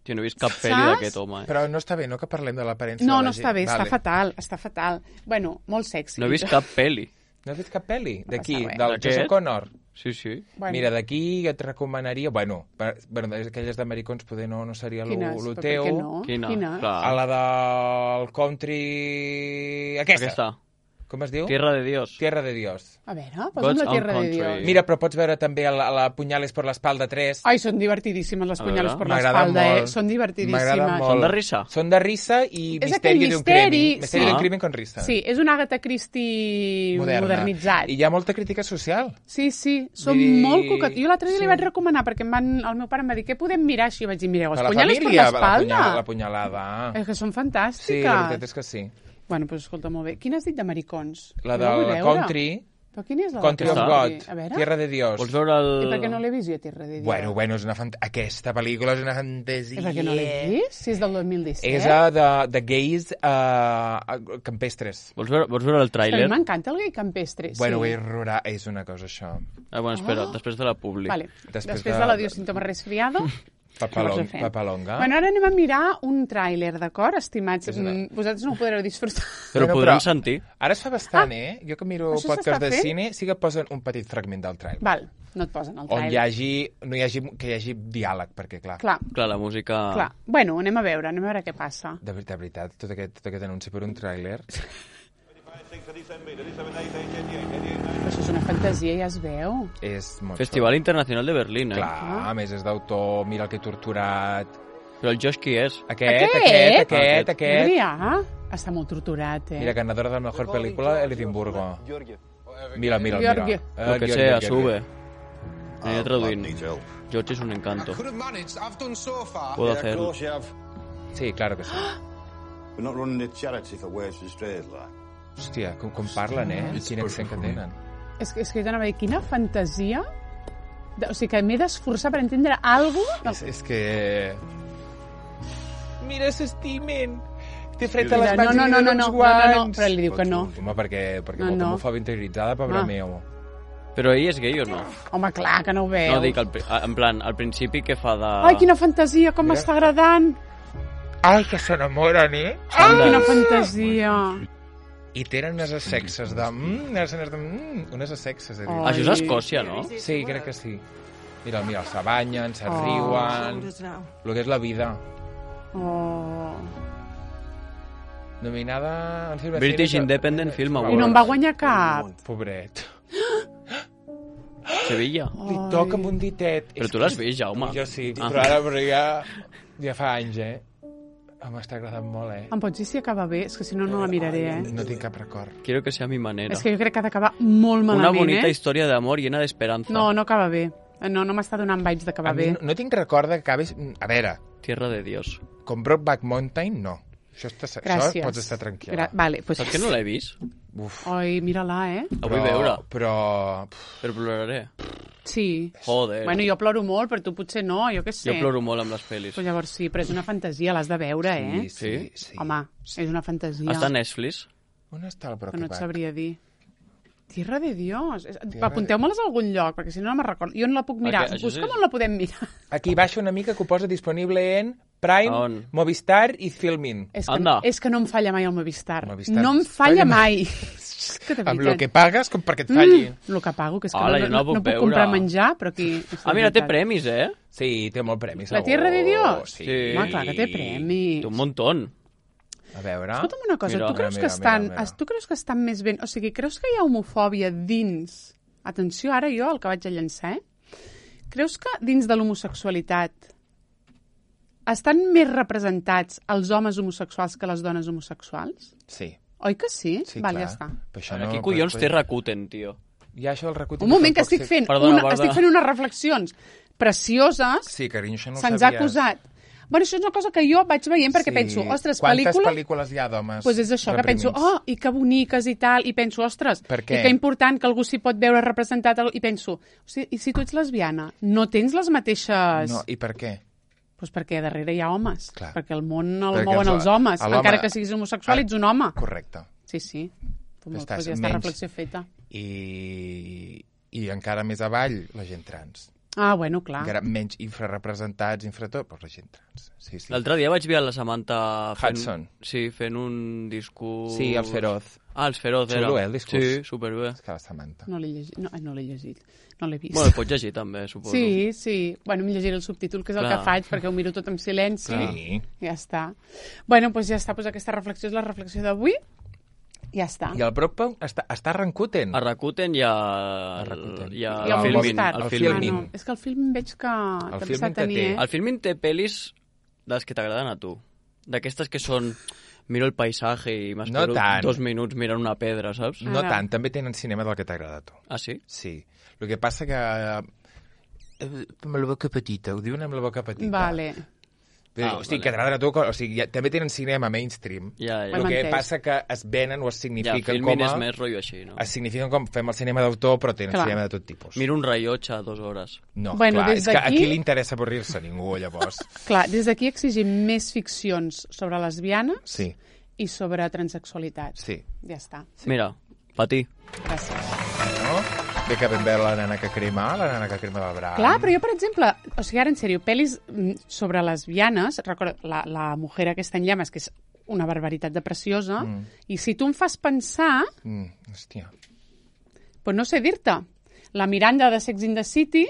Jo no he vist cap pel·li d'aquest home. Però no està bé, no, que parlem de l'aparença No, de la no està bé, està fatal. Bueno, molt sexy. No he vist cap pel·li. No has vist cap pel·li? D'aquí, res. del Jason Connor? Sí. Bueno. Mira, d'aquí et recomanaria... Bueno, aquelles d'americons poder no seria lo teu. Quina? A la del country... Aquesta. Com es diu? Tierra de Dios. Tierra de Dios. A veure, posa'm la Tierra de Dios. Mira, però pots veure també la Punyales por l'espalda 3. Ai, són divertidíssimes les Punyales por l'espalda, Són divertidíssimes. Són de risa? Són de risa i misteri d'un crimen. Misteri d'un crimen con risa. Sí, és un Agatha Christie modernitzat. I hi ha molta crítica social. Sí, són molt coquet. Jo l'altre dia li vaig recomanar, perquè el meu pare em va dir, què podem mirar així? I vaig dir, mireu, les Punyales por l'espalda. La punyalada. És que són fantàstiques. Sí, la veritat és que sí. Bueno, doncs escolta, molt bé. Quina has dit d'americons? La del Country. Però quina és la Country of God. Tierra de Dios. Vols veure el... I per què no l'he vist jo, Tierra de Dios? Bueno, és aquesta pel·lícula és una fantasia. I per què no l'he vist? Si és del 2017. És de gais campestres. Vols veure el tràiler? A mi m'encanta el gai campestre. Bueno, és una cosa, això. Bueno, espera, després de la publi. Vale. Després de l'adiós símptoma resfriado... Papalonga. Bueno, ara anem a mirar un tràiler, d'acord, estimats? Vosaltres no ho podreu disfrutar. Però podrem sentir. Ara es fa bastant, Jo que miro podcast de cine, sí que posen un petit fragment del tràiler. Val, no et posen el tràiler. On hi hagi diàleg, perquè, clar. Clar, la música... Clar. Bueno, anem a veure què passa. De veritat, tot aquest anunci per un tràiler... Això és una fantasia, ja es veu. És molt Festival Internacional de Berlín, Clar, a més és d'autor, mira el que he torturat... Però el Josh qui és? Aquest. Adrià, està molt torturat, Mira, ganadora de la mejor película, el Edimburgo. Mira. Lo que sea, sube. Aniré traduint. George es un encanto. Puedo hacerlo. Sí, claro que sí. We're not running a charity for waves and strays, like. Hòstia, com parlen, Quin accent que tenen. És que jo t'anava a dir, quina fantasia... O sigui, que m'he d'esforçar per entendre alguna cosa... És que... Mira, s'estimen. Té fred a les mans i li donen uns guants. No, però li diu que no. Home, perquè molta homofòbia interioritzada, pobra meu. Però ell és gay o no? Home, clar, que no ho veu. No, dic, en plan, al principi que fa de... Ai, quina fantasia, com m'està agradant. Ai, que s'enamoren, Ai, quina fantasia. I tenen unes sexes de... unes sexes, he dit. Això és Escòcia, no? Sí, crec que sí. Mira, se banyen, se riuen... Lo que és la vida. Nominada... British Independent Film Award. I no en va guanyar cap. Pobret. Sevilla. Li toca amb un ditet. Però tu l'has vist, Jaume? Jo sí, però ja fa anys, m'està agradant molt, Em pots dir si acaba bé? És que si no, no la miraré, No tinc cap record. Quiero que sea a mi manera. És que jo crec que ha d'acabar molt malament, Una bonita història d'amor llena d'esperanza. No acaba bé. No m'està donant vibes d'acabar bé. No tinc record que acabés... A veure... Tierra de Dios. Com Brokeback Mountain, no. Això pots estar tranquil·la. Vale, pues... Saps que no l'he vist? Ai, mira-la, La vull veure. Però ploraré. Sí. Joder. Bueno, jo ploro molt, però tu potser no, jo què sé. Jo ploro molt amb les pel·lis. Però llavors sí, però és una fantasia, l'has de veure, Sí. Home, és una fantasia. Està a Netflix? On està el Brokeback? No et sabria dir. Tierra de Dios. Apunteu-me-les a algun lloc, perquè si no me'n recordo. Jo no la puc mirar. Busca'm on la podem mirar. Aquí baixa una mica que ho posa disponible en Prime, Movistar i Filmin. És que no em falla mai el Movistar. No em falla mai. Amb el que pagues, com perquè et falli. El que pago, que és que no puc comprar menjar, però aquí... mira, té premis, Sí, té molt premis. La Tierra de Dios? Sí. Home, clar que té premis. Té un montón. A veure... Escolta'm una cosa, tu creus que estan més ben... O sigui, creus que hi ha homofòbia dins... Atenció, ara jo, el que vaig a llançar, Creus que dins de l'homosexualitat estan més representats els homes homosexuals que les dones homosexuals? Sí. Oi que sí? Sí, Val, clar. ja està. Aquí collons té Rakuten, tio. Ja això del Rakuten... Un moment, que estic fent unes reflexions precioses. Sí, carinyo, això no ho sabies. Se'ns ha acusat. Bueno, això és una cosa que jo vaig veient perquè penso, ostres, quantes pel·lícules hi ha d'homes? Doncs és això, que penso, i que boniques i tal, i penso, ostres, i que important que algú s'hi pot veure representat, i penso, i si tu ets lesbiana, no tens les mateixes... No, i per què? Doncs perquè darrere hi ha homes, perquè el món el perquè mouen els homes, encara que siguis homosexual, ets un home. Correcte. Sí. Doncs ja està reflexió feta. I encara més avall, la gent trans. Ah, bueno, clar. Encara menys infrarrepresentats, però la gent trans. Sí. L'altre dia vaig veure la Samantha Hudson. Fent un discurs... Sí, el Feroz. Ah, el Feroz era. Xulo, el discurs. Sí, superbé. És que la Samantha. No l'he llegit. No l'he llegit. No l'he vist. Bueno, el pots llegir també, suposo. Sí. Bueno, em llegiré el subtítol, que és el que faig, perquè ho miro tot en silenci. Sí. Ja està. Bueno, doncs ja està. Pues aquesta reflexió és la reflexió d'avui. Ja està. I el Brockbaum està a Rakuten. A Rakuten hi ha... I el Filmin. El Filmin. És que el film veig que també s'ha de tenir. El Filmin té pel·lis de les que t'agraden a tu. D'aquestes que són... Miro el paisatge i m'espero 2 minuts mirant una pedra, saps? No tant, també tenen cinema del que t'agrada a tu. Ah, sí? Sí. El que passa que... Amb la boca petita, ho diuen amb la boca petita. Vale. O sigui, que t'agraden a tu, o sigui, també tenen cinema mainstream. El que passa que es venen o es signifiquen com a... Filmin és més rotllo així, no? Es signifiquen com fem el cinema d'autor, però tenen cinema de tot tipus. Miro un rellotge a 2 hores. No, clar, és que a qui li interessa avorrir-se? Ningú, llavors. Clar, des d'aquí exigim més ficcions sobre lesbianes i sobre transexualitat. Sí. Ja està. Mira, Patí. Gràcies. No? Bé que ben bé la nana que crema del braç. Clar, però jo, per exemple, o sigui, ara en sèrio, pel·lis sobre lesbianes, recordo, la mujer aquesta en llames, que és una barbaritat de preciosa, i si tu em fas pensar... Hòstia. Pues no sé dir-te. La Miranda de Sex and the City...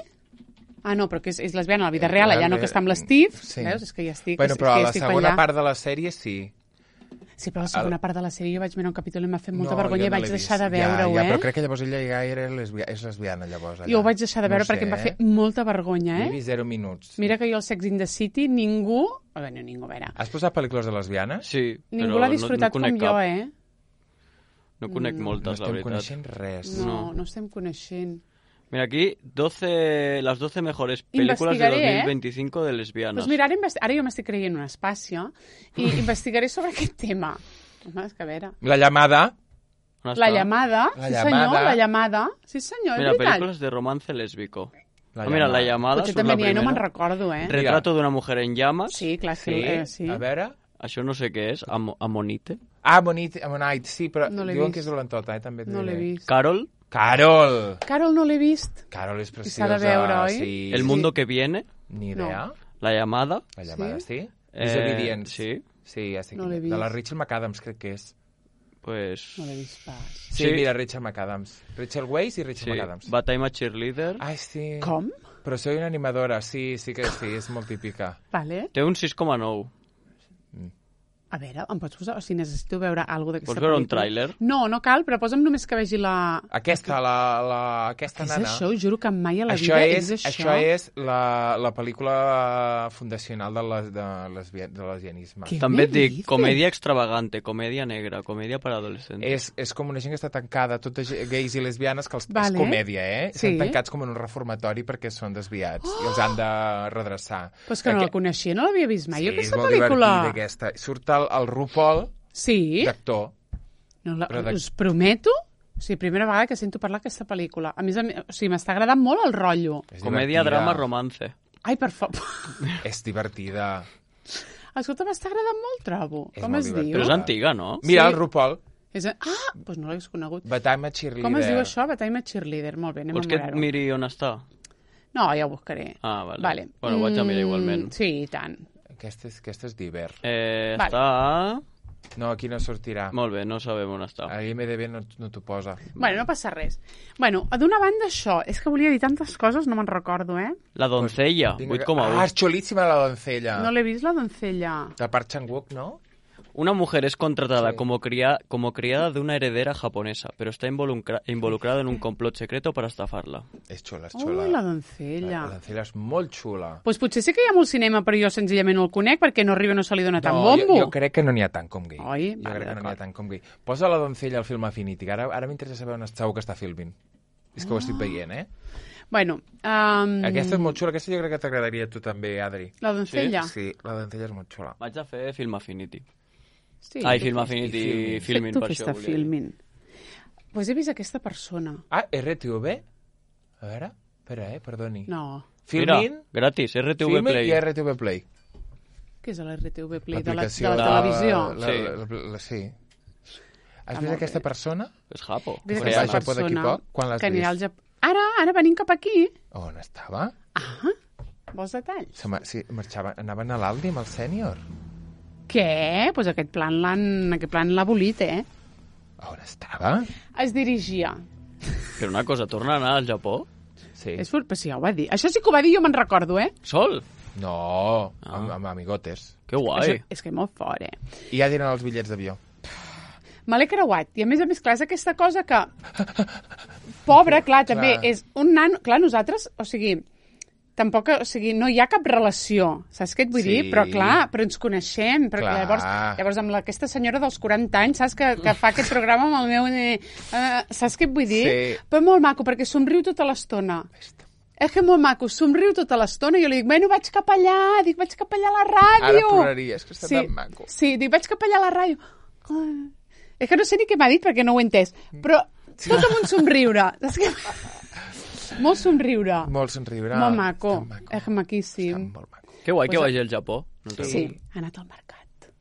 Ah, no, però que és lesbiana a la vida real, allà no que està amb l'Steve. Sí. Veus? És que ja estic... Bueno, però a la segona part de la sèrie sí. Sí, però la segona part de la sèrie jo vaig mirar un capítol i m'ha fet molta vergonya i vaig deixar de veure-ho, però crec que llavors ella ja és lesbiana, llavors. Jo ho vaig deixar de veure perquè em va fer molta vergonya, Jo he vist 0 minuts. Mira que jo al Sex and the City ningú... Bueno, ningú, a veure... Has posat pel·lícules de lesbianes? Sí, ningú l'ha disfrutat com jo, No conec moltes, la veritat. No estem coneixent res. No estem coneixent. Mira, aquí, las 12 mejores películas de 2025 de lesbianas. Pues mira, ara jo m'estic creient un espacio i investigaré sobre aquest tema. Home, és que a veure... La llamada. La llamada. Sí, senyor, la llamada. Sí, senyor, mira, películas de romance lésbico. Mira, La llamada potser també n'hi ha, no me'n recordo, Retrato d'una mujer en llamas. Sí, clar, sí. A veure... Això no sé què és, Amonite. Amonite, sí, però no diuen que és dolentota, també. No l'he vist. Carol no l'he vist. Carol és preciosa. S'ha de veure, oi? Sí. El mundo que viene. Ni idea. La llamada. La llamada, sí. Disobedience. Sí, ja sé. No l'he vist. De la Rachel McAdams, crec que és. Pues... No l'he vist pas. Sí, mira, Rachel McAdams. Rachel Weisz i Rachel McAdams. Batalla Cheerleader. Ai, sí. Com? Però soy una animadora, sí que sí, és molt típica. Vale. Té un 6,9. A veure, em pots posar... O sigui, necessito veure alguna d'aquesta pel·lícula. Pots veure un tràiler? No cal, però posa'm només que vegi la... Aquesta nana. És això? Juro que mai a la vida és això. Això és la pel·lícula fundacional de lesbianisme. També et dic, comèdia extravagante, comèdia negra, comèdia per adolescents. És com una gent que està tancada, totes gais i lesbianes, que és comèdia, Estan tancats com en un reformatori perquè són desviats i els han de redreçar. Però és que no la coneixia, no l'havia vist mai, aquesta pel·lícula. Sí, és molt divertida aquesta. Surt el RuPaul d'actor. Us prometo, o sigui, primera vegada que sento parlar d'aquesta pel·lícula. A més, o sigui, m'està agradant molt el rotllo. Comèdia, drama, romance. Ai, per favor. És divertida. Escolta, m'està agradant molt, trobo. Com es diu? Però és antiga, no? Mira, el RuPaul. Doncs no l'hagués conegut. Batalla Cheerleader. Com es diu això? Batalla Cheerleader. Molt bé, anem a mirar-ho. Vols que et miri on està? No, ja ho buscaré. Ah, vale. Bueno, ho vaig a mirar igualment. Sí, i tant. Aquesta és d'hivern. Està... No, aquí no sortirà. Molt bé, no sabem on està. A IMDb no t'ho posa. Bueno, no passa res. Bueno, d'una banda això, és que volia dir tantes coses, no me'n recordo, La doncella, 8,1. Ah, és xulíssima la doncella. No l'he vist, la doncella. De Park Chan-wook, no? Una mujer es contratada como criada de una heredera japonesa, pero está involucrada en un complot secreto para estafarla. És xula, és xula. Ui, la doncella. La doncella és molt xula. Doncs potser sí que hi ha molt cinema, però jo senzillament no el conec, perquè no arriba, no se li dona tant bombo. Jo crec que no n'hi ha tant com gay. Oi? Jo crec que no n'hi ha tant com gay. Posa la doncella al film Affinity, que ara m'interessa saber on segur que està filming. És que ho estic veient, Bueno, aquesta és molt xula, aquesta jo crec que t'agradaria a tu també, Adri. La doncella? Sí, la doncella és molt xula. Vaig a fer Film Affinity. Sí. Ai, Film Affinity, Filmin, per això. Tu fes Filmin. Pues he vist aquesta persona. Ah, RTV? A veure, espera, perdoni. No. Filmin? Mira, gratis, RTV Filmin Play. i RTV Play. Què és l'RTV Play? De la televisió? Sí. Has vist aquesta persona? És Japo. Vist aquesta persona Quan l'has que anirà al vist? Japó. Ara venim cap aquí. On estava? Vols detalls? Sí, anaven a l'Aldi amb el sènior. Què? Doncs aquest plan l'ha abolit, On estava? Es dirigia. Però una cosa, torna a anar al Japó? Sí. És fort, però sí, ja ho va dir. Això sí que ho va dir, jo me'n recordo, Sol? No, amb amigotes. Que guai. És que molt fort, I ja tenen els bitllets d'avió. Me l'he creuat. I a més, clar, és aquesta cosa que... Pobre, clar, també és un nano... Clar, nosaltres, o sigui, tampoc, o sigui, no hi ha cap relació, saps què et vull dir? Però clar, però ens coneixem, però llavors amb aquesta senyora dels 40 anys, saps, que fa aquest programa amb el meu... saps què et vull dir? Sí. Però molt maco, perquè somriu tota l'estona. És que molt maco, somriu tota l'estona, i jo li dic, bueno, vaig cap allà a la ràdio. Ara ploraria, és que està tan maco. Sí, dic, vaig cap allà a la ràdio. És que no sé ni què m'ha dit perquè no ho he entès, però tot amb un somriure. Saps què? Molt somriure. Molt somriure. Molt maco. És maquíssim. Molt maco. Que guai que vagi al Japó. Sí, ha anat al mercat.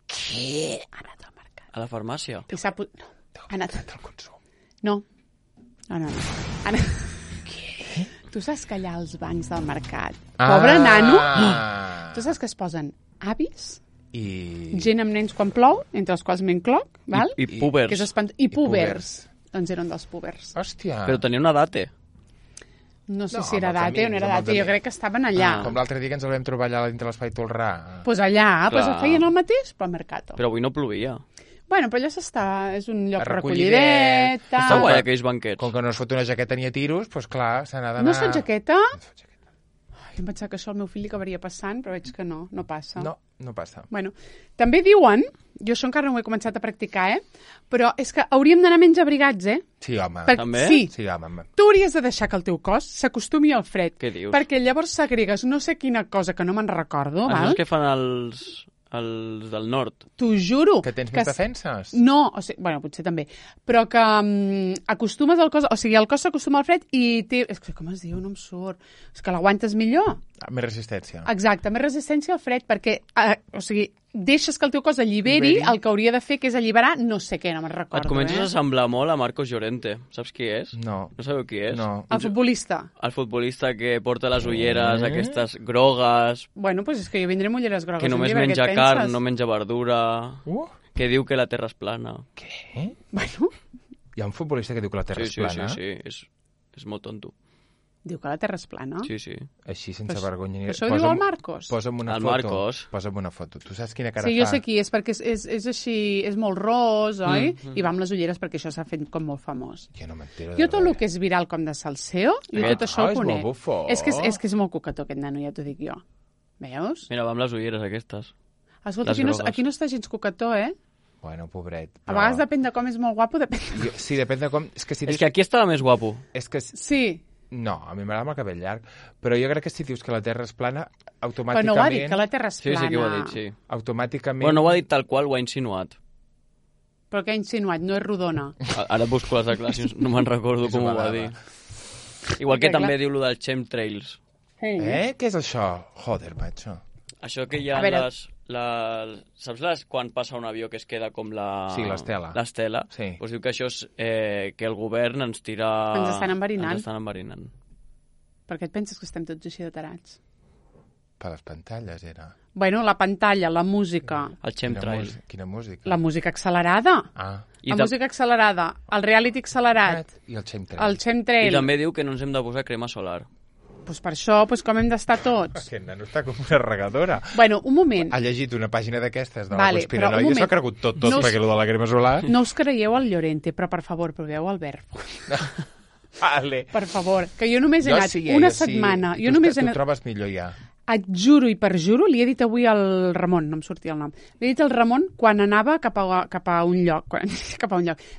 Què? Ha anat al mercat. A la farmàcia? I s'ha... No, ha anat al consum. No. Què? Tu saps que allà als bancs del mercat, pobre nano, tu saps que es posen avis, gent amb nens quan plou, entre els quals m'incloc, val? I púbers. Que és I púbers. Doncs eren dels púbers. Hòstia. Però tenia una date. No sé si era date o no era date, jo crec que estaven allà. Com l'altre dia que ens el vam trobar allà dintre l'Espai Tolrà. Doncs allà, feien el mateix, però al Mercato. Però avui no plovia. Bueno, però allà s'està, és un lloc recollidet. Està guai aquells banquets. Com que no es fot una jaqueta ni a tiros, doncs clar, s'ha d'anar... No es fot jaqueta? Jo em pensava que això al meu fill li acabaria passant, però veig que no passa. No passa. Bueno, també diuen, jo això encara no ho he començat a practicar, però és que hauríem d'anar menys abrigats, Sí, home. També? Sí, home. Tu hauries de deixar que el teu cos s'acostumi al fred. Què dius? Perquè llavors s'agregues no sé quina cosa que no me'n recordo, val? Això és que fan els del nord. T'ho juro. Que tens més defenses? No, o sigui, bueno, potser també. Però que acostumes al cos... O sigui, el cos s'acostuma al fred i té... És que com es diu? No em surt. És que l'aguantes millor. Més resistència. Exacte, més resistència al fred, perquè, o sigui, deixes que el teu cos alliberi el que hauria de fer, que és alliberar no sé què, no me'n recordo. Et comences a semblar molt a Marcos Llorente. Saps qui és? No. No sabeu qui és? No. El futbolista. El futbolista que porta les ulleres, aquestes grogues... Bueno, doncs és que jo vindré amb ulleres grogues. Que només menja carn, no menja verdura... Que diu que la Terra és plana. Què? Bueno... Hi ha un futbolista que diu que la Terra és plana? Sí. És molt tonto. Diu que la Terra és plana? Sí. Així, sense vergonya. Això ho diu el Marcos? Posa'm una foto. Marcos. Posa'm una foto. Tu saps quina cara fa? Sí, jo sé qui és, perquè és així, és molt ros, oi? I va amb les ulleres perquè això s'ha fet com molt famós. Jo no m'entero de Jo tot el que és viral com de Salseo, jo tot això ho conec. És que és molt cucató aquest nano, ja t'ho dic jo. Veus? Mira, va amb les ulleres aquestes. Escolta, aquí no està gens cucató, Bueno, pobret. A vegades depèn de com és molt guapo, depèn... Sí, depèn de com... És que aquí estava més guapo. És que... Sí. No, a mi m'agrada amb el cabell llarg, però jo crec que si dius que la Terra és plana, automàticament... Però no ho ha dit, que la Terra és plana. Sí que ho ha dit, sí. Automàticament... Bueno, no ho ha dit tal qual, ho ha insinuat. Però què ha insinuat? No és rodona. Ara busco les declaracions, no me'n recordo com ho va dir. Igual que també diu lo dels chemtrails. Què és això? Joder, macho. Això que hi ha saps quan passa un avió que es queda com la... Sí, l'estela. L'estela. Sí. Doncs diu que això és que el govern ens tira... Ens estan enverinant. Ens estan enverinant. Per què et penses que estem tots així de tarats? Per les pantalles, era. Bueno, la pantalla, la música... El chemtrail. Quina música? La música accelerada. Música accelerada, el reality accelerat. I el chemtrail. El chemtrail. I també diu que no ens hem de posar crema solar. Pues per això, com hem d'estar tots. Aquest nano està com una regadora. Bueno, un moment. Ha llegit una pàgina d'aquestes de la conspiranoia i s'ha cregut tot perquè allò de la crema solar... No us creieu el Llorente, però per favor, proveu el verb. Vale. Per favor, que jo només he anat una setmana. Tu trobes millor ja. Et juro i perjuro, li he dit avui al Ramon, no em sortia el nom, li he dit al Ramon quan anava cap a un lloc,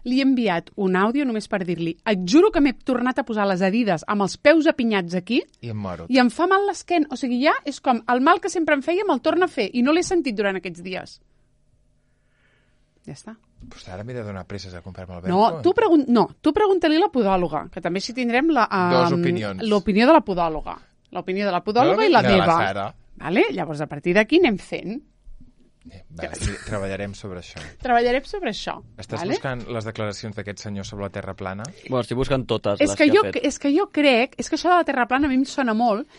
li he enviat un àudio només per dir-li, et juro que m'he tornat a posar les Adidas amb els peus apinyats aquí i em moro. I em fa mal l'esquena, o sigui, ja és com el mal que sempre em feia me'l torna a fer i no l'he sentit durant aquests dies. Ja està. Pues ara m'he de donar presses a comprar-me el verb. No, tu pregunta-li a la podòloga, que també si tindrem dos opinions. L'opinió de la podòloga. L'opinió de la podòloga i la meva. Vale? Llavors, a partir d'aquí anem fent. Treballarem sobre això. Estàs buscant les declaracions d'aquest senyor sobre la Terra plana? Bueno, estic buscant totes les que ha fet. És que jo crec... És que això de la Terra plana a mi em sona molt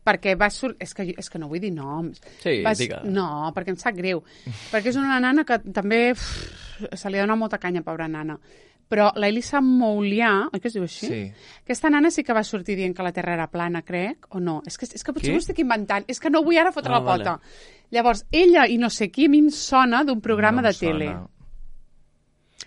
perquè va sortir... És que no vull dir noms. Sí, digue. No, perquè em sap greu. Perquè és una nana que també se li dona molta canya, pobra nana. Però l'Elisa Moulià, oi que es diu així? Sí. Aquesta nana sí que va sortir dient que la Terra era plana, crec, o no? És que potser ho estic inventant. És que no vull ara fotre la pota. Vale. Llavors, ella i no sé qui a mi em sona d'un programa de tele.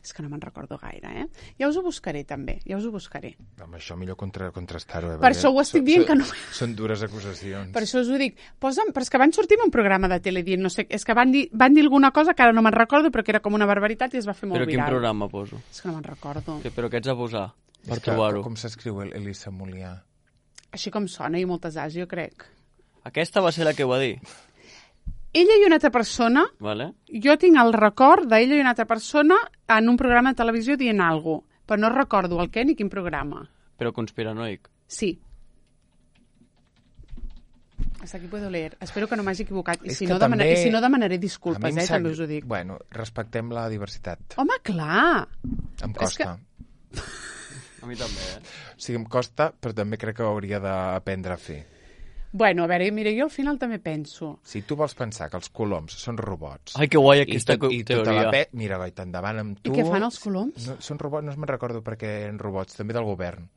És que no me'n recordo gaire, eh? Ja us ho buscaré, també. Amb això millor contrastar-ho. Per això ho estic dient que no... Són dures acusacions. Per això us ho dic. Però és que van sortir en un programa de tele dient, no sé, és que van dir alguna cosa que ara no me'n recordo, però que era com una barbaritat i es va fer molt viral. Però quin programa poso? És que no me'n recordo. Però què ets a posar per trobar-ho? Com s'escriu Elisa Moulià? Així com sona, i moltes As, jo crec. Aquesta va ser la que ho va dir? Ella i una altra persona, vale. Jo tinc el record d'ella i una altra persona en un programa de televisió dient alguna cosa, però no recordo el què ni quin programa. Però conspiranoic? Sí. Hasta aquí puedo leer. Espero que no m'hagi equivocat. I si no, demanaré disculpes, també us ho dic. Bueno, respectem la diversitat. Home, clar! Em costa. A mi també, O sigui, em costa, però també crec que ho hauria d'aprendre a fer. Bueno, a veure, mira, jo al final també penso... Si tu vols pensar que els coloms són robots... Ai, que guai aquesta teoria. Mira, goita, endavant amb tu... I què fan els coloms? No, són robots, no me'n recordo perquè eren robots, també del govern.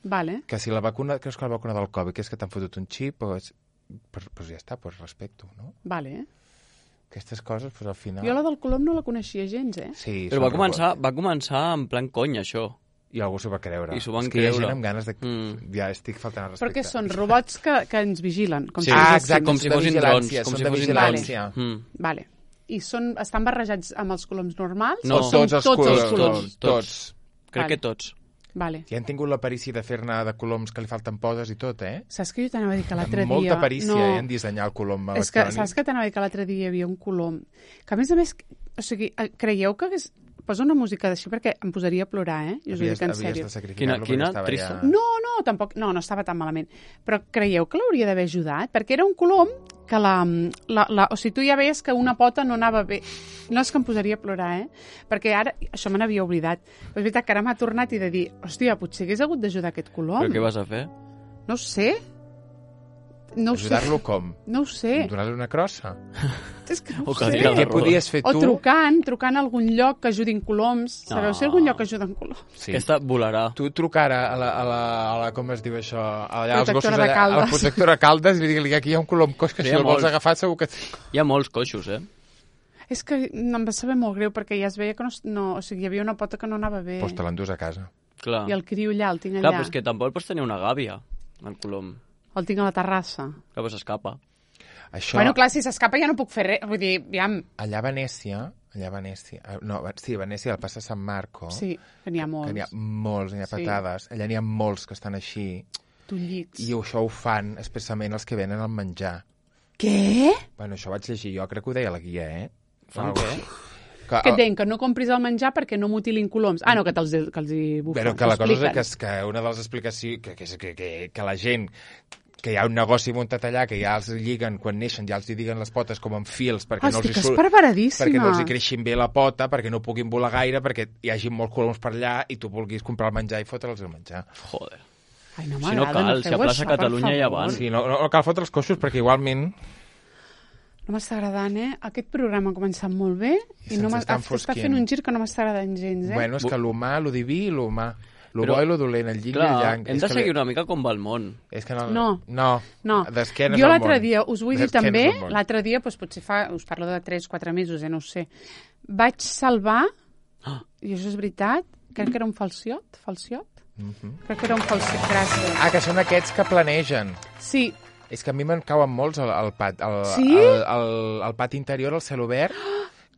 Vale. Que si la vacuna, creus que la vacuna del Covid, que és que t'han fotut un xip, pues ja està, pues respecto, no? Vale. Aquestes coses, pues al final... Jo la del colom no la coneixia gens, eh? Sí, però va començar en plan conya, això. I algú s'ho va creure. I s'ho van creure. És que hi ha creure. gent amb ganes de... Ja estic faltant al respecte. Perquè són robots que ens vigilen. Com sí, exacte, com si fossin drons. Són de vigilància. Vale. I estan barrejats amb els coloms normals? No, tots els coloms. Tots. Crec que tots. Vale. I han tingut la perícia de fer-ne de coloms que li falten podes i tot, eh? Saps que jo t'anava a dir que l'altre dia... Molta perícia, en dissenyar el colom electrònic. És que saps que t'anava a dir que l'altre dia hi havia un colom que, a més, o sigui, creieu que hagués... Posa una música d'així perquè em posaria a plorar, eh? Jo us ho dic en sèrio. Quina trista? No, tampoc, no estava tan malament. Però creieu que l'hauria d'haver ajudat? Perquè era un colom que o sigui, tu ja veies que una pota no anava bé. No és que em posaria a plorar, eh? Perquè ara, això me n'havia oblidat. Però és veritat que ara m'ha tornat i de dir, hòstia, potser hagués hagut d'ajudar aquest colom. Però què vas a fer? No ho sé. No ajudar-lo com? No ho sé. Donar-li una crossa? És que no ho sé. Què podies fer tu? O trucant a algun lloc que ajudin coloms. Sabeu si algun lloc que ajuden coloms? Sí. Aquesta volarà. Tu trucar a la com es diu això? Allà, protectora de Caldes. A la protectora de Caldes i dir-li que aquí hi ha un colom coix que si el vols agafar segur que... Hi ha molts coixos, eh? És que em va saber molt greu perquè ja es veia que no... O sigui, hi havia una pota que no anava bé. Pues te l'endús a casa. Clar. I el criu allà, el tinc allà. Clar, però és que tampoc pots tenir una gàbia, el colom. El tinc a la terrassa. Clar, però s'escapa. Això... Bueno, clar, si s'escapa ja no puc fer res. Vull dir, aviam... Allà a Venècia... No, sí, a Venècia, al Passa San Marco... Sí, que n'hi ha molts. Que n'hi ha molts, n'hi ha patades. Allà n'hi ha molts que estan així. Tullits. I això ho fan expressament els que venen al menjar. Què? Bueno, això ho vaig llegir jo, crec que ho deia la guia, eh? Fan què? Que deien que no compris el menjar perquè no mutilin coloms. Ah, no, que els hi bufen. Però que la cosa és que una de les explicacions... Que la gent... Que hi ha un negoci muntat allà, que ja els lliguen, quan neixen, ja els lliguen les potes com amb fils, perquè no els hi creixin bé la pota, perquè no puguin volar gaire, perquè hi hagi molts coloms per allà i tu vulguis comprar el menjar i fotre'ls el menjar. Joder. Ai, no si no cal, si a plaça Catalunya ja van. Sí, no cal fotre els coixos, perquè igualment... No m'està agradant, eh? Aquest programa ha començat molt bé i no està fent un gir que no m'està agradant gens, eh? Bueno, és que l'humà, lo diví i l'humà. Lo bo i lo dolent, el yin i el yang. Hem de seguir una mica com va el món. És que no. D'esquenes jo l'altre dia, us vull dir també, l'altre dia, doncs potser us parlo de 3-4 mesos, no ho sé, vaig salvar, i això és veritat, crec que era un falciot? Crec que era un falciot, gràcies. Ah, que són aquests que planegen. Sí. És que a mi me'n cauen molts al pati interior, al cel obert.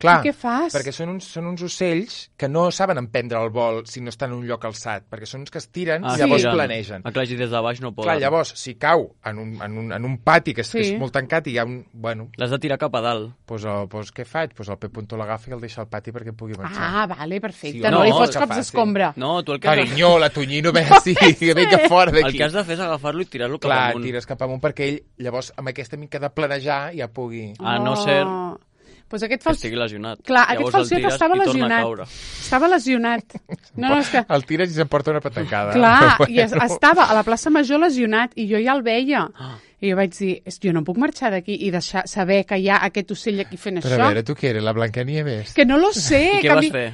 Clar, i què fas? Perquè són uns ocells que no saben emprendre el vol si no estan en un lloc alçat, perquè són uns que es tiren i llavors planegen. Clar, i des de baix no poden. Clar, llavors, si cau en un pati que és molt tancat i hi ha un... Bueno, l'has de tirar cap a dalt. Doncs què faig? Doncs el Pep Punto l'agafa i el deixa al pati perquè pugui marxar. Ah, vale, perfecte. No li fots cops d'escombra. No, tu el que... Carinyó, la Tonyino, ve així, que vinga fora d'aquí. El que has de fer és agafar-lo i tirar-lo cap amunt. Clar, tires cap amunt perquè ell, llavors, amb aquesta mica de planejar ja pugui... A no ser... Pues aquest que estigui lesionat. Clar, aquest falciot estava lesionat. Estava lesionat. No, és que... El tires i s'emporta una patacada. Clar, i estava a la plaça Major lesionat i jo ja el veia. I jo vaig dir, jo no puc marxar d'aquí i deixar saber que hi ha aquest ocell aquí fent això. Però a veure, tu què eres, la Blancanieves? Que no lo sé. I què vas fer?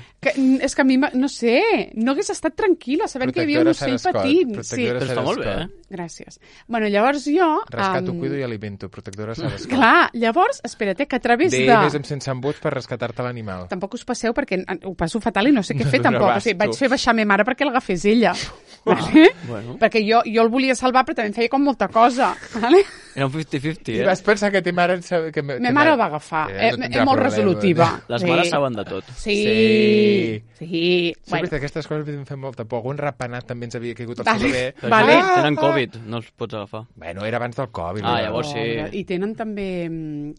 És que a mi, no sé, no hagués estat tranquil·la sabent que hi havia un ocell patint. Sí, però està molt bé, Gràcies. Bueno, llavors jo... Rescato, cuido i alimento, protectora Sarascot. Clar, llavors, espera't, que a través de... Vés amb sense embuts per rescatar-te l'animal. Tampoc us passeu perquè ho passo fatal i no sé què fer tampoc. O sigui, vaig fer baixar ma mare perquè l'agafés ella. Vale? Bueno. Perquè jo el volia salvar però també em feia com molta cosa. Vale? Era un 50-50, I vas pensar que ta mare... Ma mare el va agafar. És molt resolutiva. Les mares saben de tot. Sí. Bueno. Aquestes coses em fan molta por. Algun ratpenat també ens havia caigut al celler. Vale. Tenen Covid, no els pots agafar. Bueno, era abans del Covid. Llavors sí. I tenen també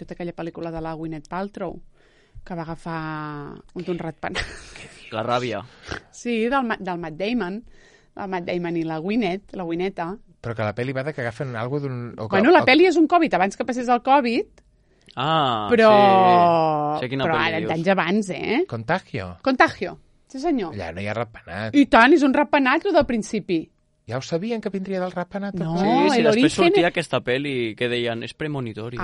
tota aquella pel·lícula de la Gwyneth Paltrow que va agafar un ratpenat. La ràbia. Sí, del Matt Damon. El Matt Damon i la Gwyneta. Però que la pel·li va de que agafen alguna d'un... Bueno, la pel·li és un Covid, abans que passés el Covid, però... Sí. Sé quina però pel·li ara, dius. d'anys abans, Contagio. Sí, senyor. Allà no hi ha ratpenat. I tant, és un ratpenat, del principi. Ja ho sabien que vindria del ratpenat? No, sí, després sortia aquesta pel·li que deien, és premonitori.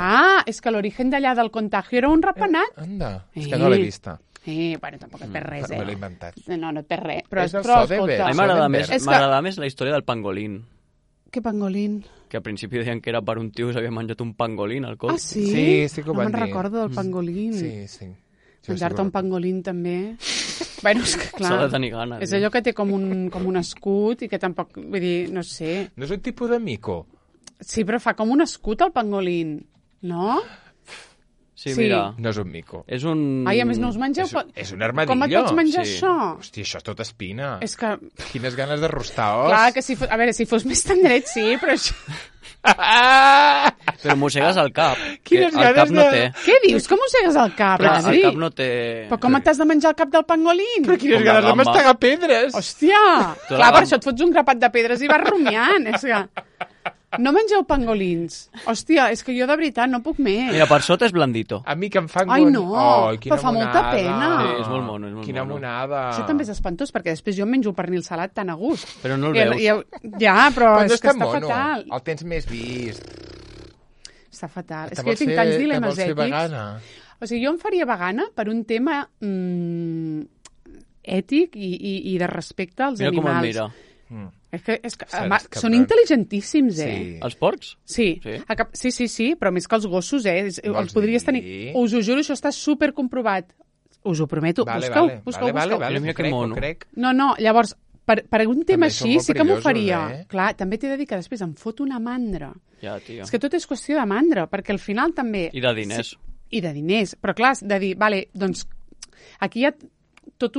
És que l'origen d'allà del Contagio era un ratpenat. Anda, és que no l'he vista. Bueno, tampoc et perd res, Me l'he inventat. No et perd res. Però Soderbergh. A mi m'agrada més la història del pangolín. Què pangolín? Que al principi deien que era per un tio que s'havia menjat un pangolín al cos. Sí? Sí que ho van dir. No me'n recordo del pangolín. Sí. Menjar-te un pangolín també... Bueno, és que clar... S'ha de tenir gana. És allò que té com un escut i que tampoc... Vull dir, no sé... No és un tipus de mico? Sí, però fa com un escut el pangolín, no? Sí, mira. No és un mico. És un... Ai, a més no us mengeu... És un armadillo. Com et pots menjar això? Hòstia, això és tot espina. És que... Quines ganes de rostar os. Clar, que si fos... A veure, si fos més tendret, sí, però això... Però mossegues al cap. Quines el cap no té. Què dius? Com mossegues el cap, Adri? El cap no té... Però com t'has de menjar el cap del pangolín? Però quines ganes de mastegar pedres. Hòstia! Clar, per això et fots un grapat de pedres i vas rumiant. És que... No mengeu pangolins. Hòstia, és que jo de veritat no puc més. Mira, per sota és blandito. A mi que em fan... Ai, no, però fa molta pena. Sí, és molt mono, Quina monada. Això també és espantós, perquè després jo em menjo un pernil salat tan a gust. Però no el veus. Ja, però és que està fatal. El tens més vist. Està fatal. És que jo tinc tants dilemes ètics. O sigui, jo em faria vegana per un tema ètic i de respecte als animals. Mira com em mira. És que són intel·ligentíssims, Sí. Els porcs? Sí. Sí, però més que els gossos, els podries tenir... Us ho juro, això està supercomprovat. Us ho prometo. Busqueu. Vale, mira que mono. No, llavors, per un tema així sí que m'ho faria. Clar, també t'he de dir que després em fot una mandra. Ja, tia. És que tot és qüestió de mandra, perquè al final també... I de diners. I de diners. Però clar, de dir, vale, doncs aquí hi ha tot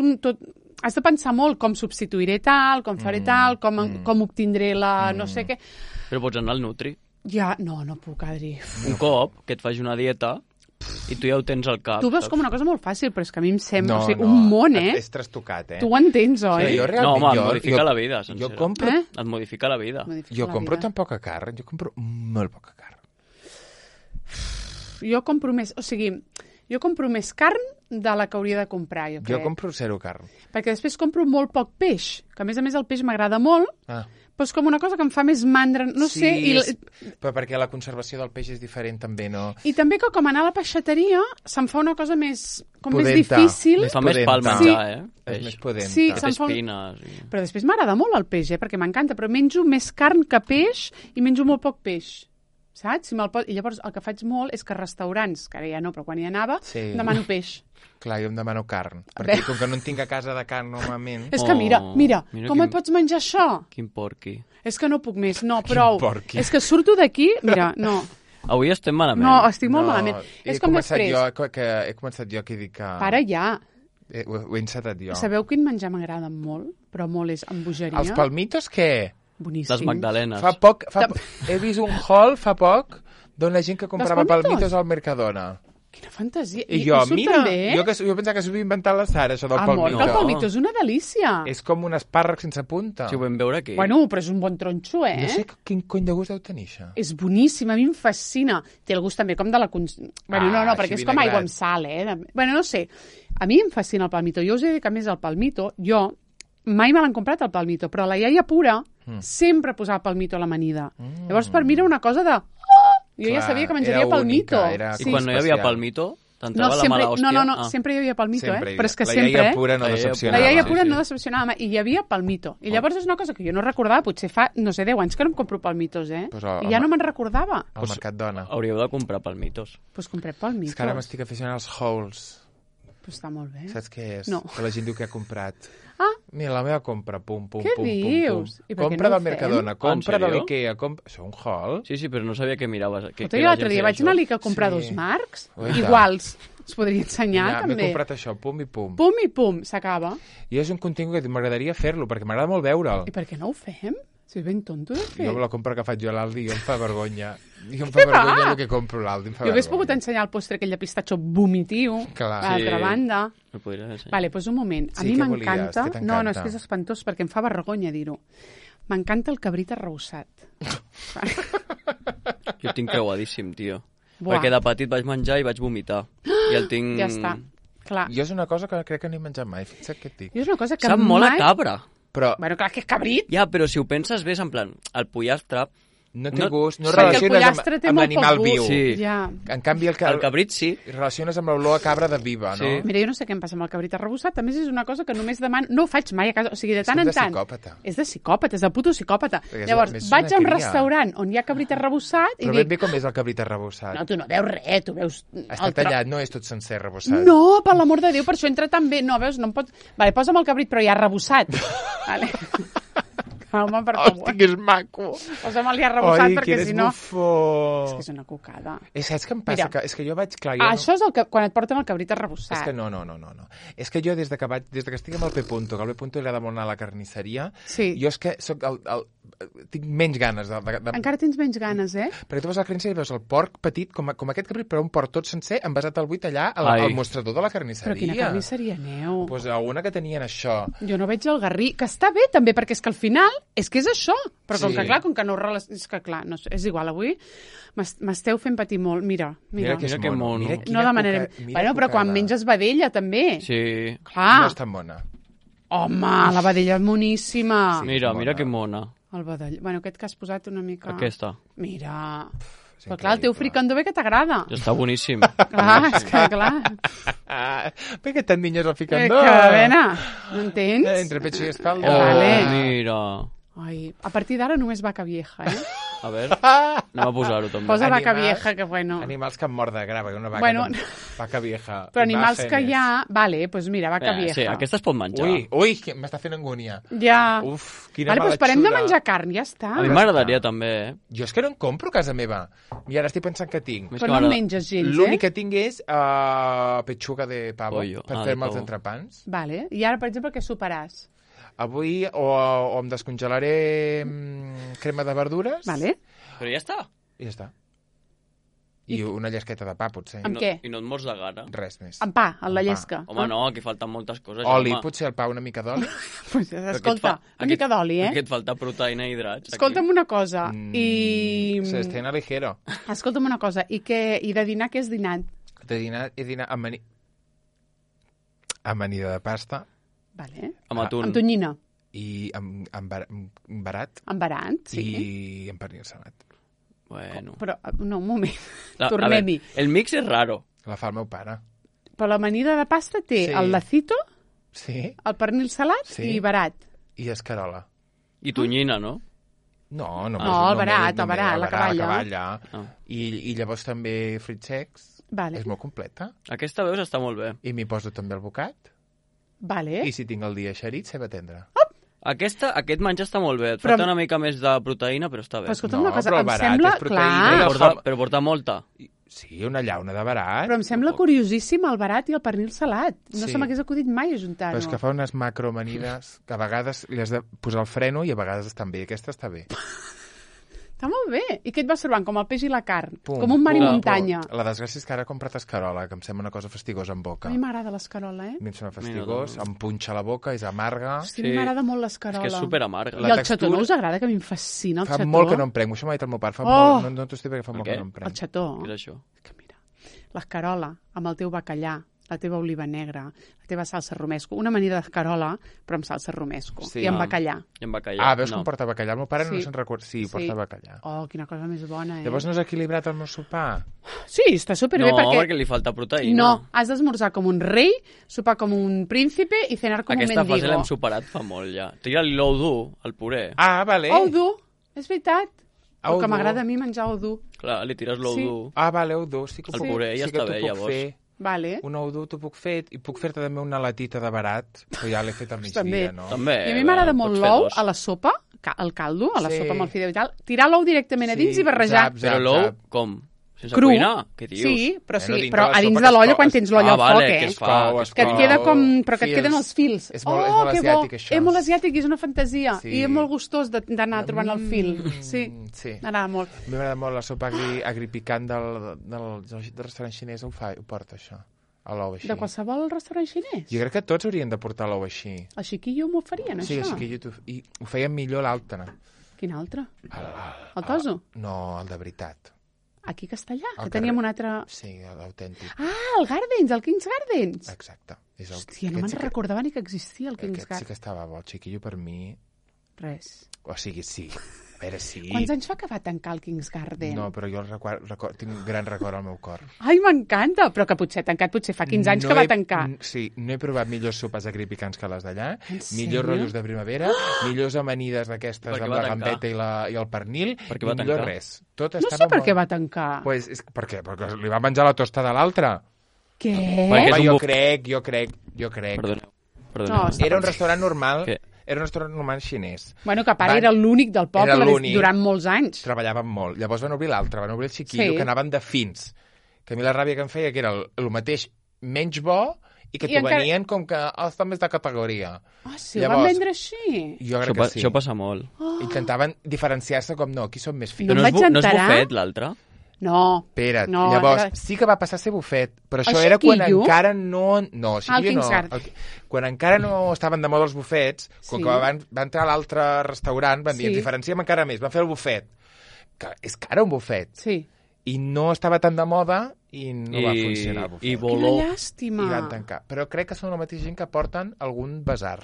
has de pensar molt com substituiré tal, com faré tal, com obtindré la no sé què. Però pots anar al Nutri. Ja, no puc, Adri. Un cop que et faci una dieta i tu ja ho tens al cap. Tu veus com una cosa molt fàcil, però és que a mi em sembla un món, És trastocat, Tu ho entens, oi? Sí, no, home, et modifica la vida, sencera. Jo compro... Et modifica la vida. Jo compro tan poca carn, jo compro molt poca carn. Jo compro més, jo compro més carn de la que hauria de comprar, jo crec. Jo compro zero carn. Perquè després compro molt poc peix, que a més el peix m'agrada molt, però és com una cosa que em fa més mandra, no sé. Però perquè la conservació del peix és diferent també, no? I també que com anar a la peixateria se'm fa una cosa més difícil. Fa més pal menjar, És més pudenta. Sí, que té espines. Però després m'agrada molt el peix, perquè m'encanta, però menjo més carn que peix i menjo molt poc peix. Saps? I llavors el que faig molt és que a restaurants, que ara ja no, però quan hi anava, demano peix. Clar, jo em demano carn, perquè com que no en tinc a casa de carn normalment... És que mira, com et pots menjar això? Quin porqui. És que no puc més, no, prou. És que surto d'aquí, mira, no. Avui estem malament. No, estic molt malament. És com després. He començat jo que dic que... Para ja. Ho he encetat jo. Sabeu quin menjar m'agrada molt, però molt és amb bogeria? Els palmitos, què? Boníssims. Les magdalenes. Fa poc, he vist un haul fa poc d'on la gent que comprava palmitos al Mercadona. Quina fantasia. I jo, mira, també? jo pensava que s'ho havia inventat la Sara, això del palmito. Amor, que el palmito és una delícia. És com un espàrrec sense punta. Si ho vam veure aquí. Bueno, però és un bon tronxo, No sé quin cony de gust deu tenir, això. És boníssim, a mi em fascina. Té el gust també com de la... Bueno, no, perquè és com aigua amb sal, Bueno, no sé. A mi em fascina el palmito. Jo us he dit que, a més, el palmito, jo mai me l'han comprat, el palmito, però la iaia pura sempre posava palmito a l'amanida. Llavors, per mi era una cosa de... Jo ja sabia que menjaria palmito. I quan no hi havia palmito, t'entrava la mala hòstia? No, sempre hi havia palmito, Però és que la sempre... La iaia pura no decepcionava. La iaia pura no decepcionava, i hi havia palmito. I llavors és una cosa que jo no recordava, potser fa, no sé, 10 anys que no em compro palmitos, I ja no me'n recordava. Al Mercat Dona. Hauríeu de comprar palmitos. Doncs comprem palmitos. És que ara m'estic aficionant als Halls. Pues està molt bé. Saps què és? No. Que la gent diu que ha comprat. Ah. Mira, la meva compra, pum. Què dius? Compra del Mercadona, compra de l'Ikea, Això un haul? Sí, però no sabia què miraves. Jo l'altre dia vaig anar a l'Ikea a comprar 2 marcs, iguals. Es podria ensenyar, també. M'he comprat això, pum i pum. Pum i pum, s'acaba. I és un contingut que m'agradaria fer-lo, perquè m'agrada molt veure'l. I per què no ho fem? Si és ben tonto de fer. Jo la compra que faig jo a l'Aldi, jo em fa vergonya. Jo em fa vergonya el que compro a l'Aldi, Jo hauria pogut ensenyar el postre aquell de pistatxo vomitiu, a l'altra banda. Vale, doncs un moment. A mi m'encanta... No, és que és espantós, perquè em fa vergonya dir-ho. M'encanta el cabrit arrebossat. Jo el tinc creuadíssim, tio. Perquè de petit vaig menjar i vaig vomitar. I el tinc... Ja està, clar. Jo és una cosa que crec que no he menjat mai, fixa't què et dic. Jo és una cosa que Sap molt a cabra. Però... Bueno, clar, que és cabrit. Ja, però si ho penses bé, és en plan, el pollastre... No té gust, no relaciones amb l'animal viu. Sí. Ja. En canvi, el cabrit sí. Relaciones amb l'olor a cabra de viva, no? Sí. Mira, jo no sé què em passa amb el cabrit arrebossat. A més, és una cosa que només demano... No ho faig mai a casa. O sigui, de tant en tant... És de psicòpata, és de puto psicòpata. Llavors, vaig a un restaurant on hi ha cabrit arrebossat i dic... Però ben bé com és el cabrit arrebossat. No, tu no veus res, tu veus... Està tallat, no és tot sencer arrebossat. No, per l'amor de Déu, per això entra tan bé. No, veus, no em pot... Vale, posa'm el cabrit, però ja arrebossat. Vale. Home, per favor. Hosti, que és maco. Posa'm-li arrebossat, perquè si no... Bufó. És que és una cucada. Saps què em passa? És que jo vaig... Clar, això és el que, quan et porten el cabrit arrebossat. És que no. És que jo, des que estic amb el P-Punto, que al P-Punto li agrada molt anar a la carnisseria, jo és que soc tinc menys ganes Encara tens menys ganes, Perquè tu vas a la carnisseria i veus el porc petit, com aquest cabrit, però un porc tot sencer, envasat al buit allà, al mostrador de la carnisseria. Però quina carnisseria aneu? Doncs alguna que tenien això. Jo no veig el garrí, que està bé també, perquè és que al final és que és això. Però com que no ho és que clar, no, és igual, avui m'esteu fent patir molt. Mira que mono. No demanarem... Bueno, però quan menges vedella, també. Sí. Clar. No és tan bona. Home, la vedella és moníssima. Sí, mira que mona. El vedell. Bueno, aquest que has posat una mica... Aquesta. Mira... Però clar, el teu fricandó bé que t'agrada. Ja està boníssim. Clar, és que clar. Per què tant niños el fricandó? Que vena, no entens? Entre pecho i espalda. Vale. Mira. Ai, a partir d'ara només vaca vieja, A veure, anem a posar-ho també. Posa vaca vieja, que bueno. Animals que han mort de grava, una vaca, vaca vieja. Però animals que hi ha... Vale, doncs mira, vaca vieja. Sí, aquesta es pot menjar. Ui, m'està fent angúnia. Ja. Uf, quina vale, doncs parem de menjar carn, ja està. A mi m'agradaria també, Jo és que no en compro a casa meva. I ara estic pensant que tinc. Però no menges gens, L'únic que tinc és pechuga de pavo, per fer-me els entrepans. Vale, i ara, per exemple, què soparàs? Avui o em descongelaré crema de verdures. Vale. Però ja està. I ja està. I una llesqueta de pa, potser. Amb què? I no et mors de gana. Res més. Amb pa, amb la llesca. Home, no, aquí falten moltes coses. Oli, potser el pa, una mica d'oli. Pues, escolta, una mica d'oli, Aquí et falta proteïna i hidrats. Escolta'm una cosa. Se estena ligero. Escolta'm una cosa. I de dinar què has dinat? De dinar he dinat amanida de pasta. Vale. Amb atún. Amb tonyina. I amb barat. Amb barat, sí. I amb pernil salat. Bueno. Però, no, un moment. Tornem-hi. El mix és raro. La fa el meu pare. Però l'amanida de pasta té el lacito, el pernil salat i barat. I escarola. I tonyina, no? No, el barat, la caballa. I llavors també frits secs. Vale. És molt completa. Aquesta veus està molt bé. I m'hi poso també el bocat. Vale. I si tinc el dia eixerit, ceba tendra. Aquest menjar està molt bé. Et falta una mica més de proteïna, però està bé. Però escolta'm una cosa, em sembla... Però porta molta. Sí, una llauna de barat. Però em sembla curiosíssim el barat i el pernil salat. No se m'hagués acudit mai ajuntar-ho. Però és que fa unes macroamanides que a vegades li has de posar el freno i a vegades estan bé. Aquesta està bé. Està molt bé. I què et vas trobant? Com el peix i la carn. Com un mar i muntanya. La desgràcia és que ara he comprat escarola, que em sembla una cosa fastigosa en boca. A mi m'agrada l'escarola, A mi em sembla fastigós, em punxa la boca, és amarga. Hosti, a mi m'agrada molt l'escarola. És que és superamarga. I el xató no us agrada? Que a mi em fascina el xató. Fa molt que no em prenc, això m'ha dit el meu pare. No t'ho estic perquè fa molt que no em prenc. El xató. Què és això? Que mira, l'escarola amb el teu bacallà, la teva oliva negra, la teva salsa romesco, una amanida d'escarola, però amb salsa romesco, i amb bacallà. I amb bacallà. Veus com porta bacallà? El meu pare no se'n recorda. Sí, porta bacallà. Oh, quina cosa més bona, Llavors no has equilibrat el meu sopar? Sí, està superbé perquè li falta proteïna. No, has d'esmorzar com un rei, sopar com un príncipe i cenar com un mendigo. Aquesta fase l'hem superat fa molt, ja. Tira-li l'ou dur, al puré. Vale. Ou dur, és veritat. El que m'agrada a mi menjar ou dur. Clar, li tires l'ou dur. Vale, ou dur. Sí que el puré ja està bé, llavors. Vale. Un ou dur t'ho puc fer, i puc fer-te també una latita de barat, però ja l'he fet al migdia, no? També. I a mi m'agrada molt l'ou a la sopa, al caldo, a la sopa amb el fideu i tal, tirar l'ou directament a dins i barrejar. Però l'ou, com? Sense cuinar? Què dius? Sí, però a dins de l'olla quan tens l'olla al foc, que et queda com... Però que et queden els fils. És molt asiàtic, això. És molt asiàtic, és una fantasia. I és molt gustós d'anar trobant el fil. Sí, m'agrada molt. A mi m'agrada molt la sopa agripicant del restaurant xinès, ho porta, això. L'ou així. De qualsevol restaurant xinès? Jo crec que tots haurien de portar l'ou així. El xiquillo m'ho farien, això? Sí, el xiquillo. I ho feien millor l'altre. Quin altre? El toso? No, el de veritat. Aquí a Castellà, que teníem un altre... Sí, l'autèntic. El Gardens, el King's Gardens. Exacte. Hòstia, no me'n recordava ni que existia el King's Gardens. Aquest sí que estava bo, el xiquillo per mi... Res. O sigui, sí. A veure, sí. Quants anys fa que va tancar el King's Garden? No, però jo tinc un gran record al meu cor. Ai, m'encanta! Però que potser tancat, potser fa 15 anys que va tancar. Sí, no he provat millors sopes agripicants que les d'allà, millors rotllos de primavera, millors amanides d'aquestes amb la gambeta i el pernil, i millor res. No sé per què va tancar. Pues, per què? Perquè li va menjar la tosta de l'altre. Què? Jo crec. Perdoneu. Era un restaurant normal... Era un restaurant normal xinès. Bueno, que a part era l'únic del poble durant molts anys. Treballaven molt. Llavors van obrir l'altre, van obrir el xiquillo, que anaven de fins. Que a mi la ràbia que em feia que era el mateix menys bo i que t'ho venien com que està més de categoria. Sí, ho van vendre així? Jo crec que sí. Això passa molt. Intentaven diferenciar-se com no, aquí som més fins. No és bufet, l'altre? No. Espera't, llavors, sí que va passar a ser bufet, però això era quan encara no... No, xiquillo no. Quan encara no estaven de moda els bufets, com que va entrar a l'altre restaurant, van dir, ens diferenciem encara més, van fer el bufet. Que és cara un bufet. Sí. I no estava tan de moda i no va funcionar el bufet. Quina llàstima. I van tancar. Però crec que són la mateixa gent que porten algun basar.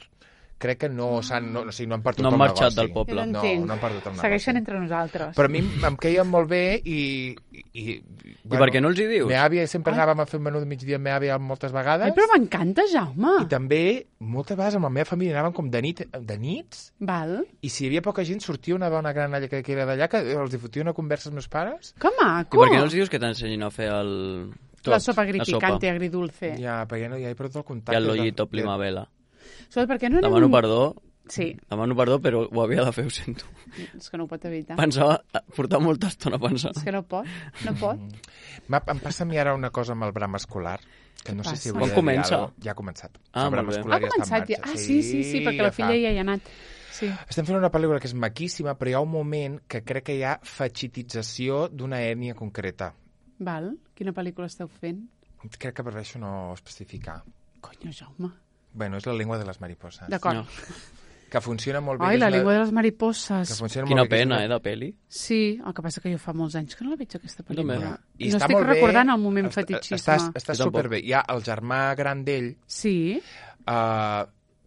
Crec que no han perdut el negoci. No han marxat del poble. No han perdut el negoci. Segueixen entre nosaltres. Però a mi em queien molt bé i per què no els hi dius? Meva àvia sempre anàvem a fer un menú de migdia amb meva àvia moltes vegades. Ai, però m'encanta, Jaume. I també, moltes vegades amb la meva família anàvem com de nits. Val. I si hi havia poca gent, sortia una dona gran allà que era d'allà, que els fotia una conversa als meus pares. Que maco. I per què no els dius que t'ensenyin a fer la sopa agripicante agridulce? Ja, perquè no hi ha perdut el contacte. I el lollito primavera. Perquè no demano perdó. Sí. Demano perdó, però ho havia de fer, ho sento. És que no ho pot evitar. Pensava, portar molta estona pensant. És que no pot. Em passa a mi ara una cosa amb el bram escolar, que no sé si hauria de dir alguna cosa. Ja ha començat. El bram escolar ja està en marxa. Sí, perquè la filla ja hi ha anat. Sí. Estem fent una pel·lícula que és maquíssima, però hi ha un moment que crec que hi ha fetxitització d'una ètnia concreta. Val. Quina pel·lícula esteu fent? Crec que prefereixo no especificar. Conyo, Jaume. Bueno, és la llengua de les mariposas. D'acord. Que funciona molt bé. Ai, la llengua de les mariposses. Quina pena, de pel·li. Sí, el que passa que jo fa molts anys que no la veig, aquesta pel·lícula. I no estic recordant el moment fetitxisme. Està superbé. Hi ha el germà gran d'ell. Sí.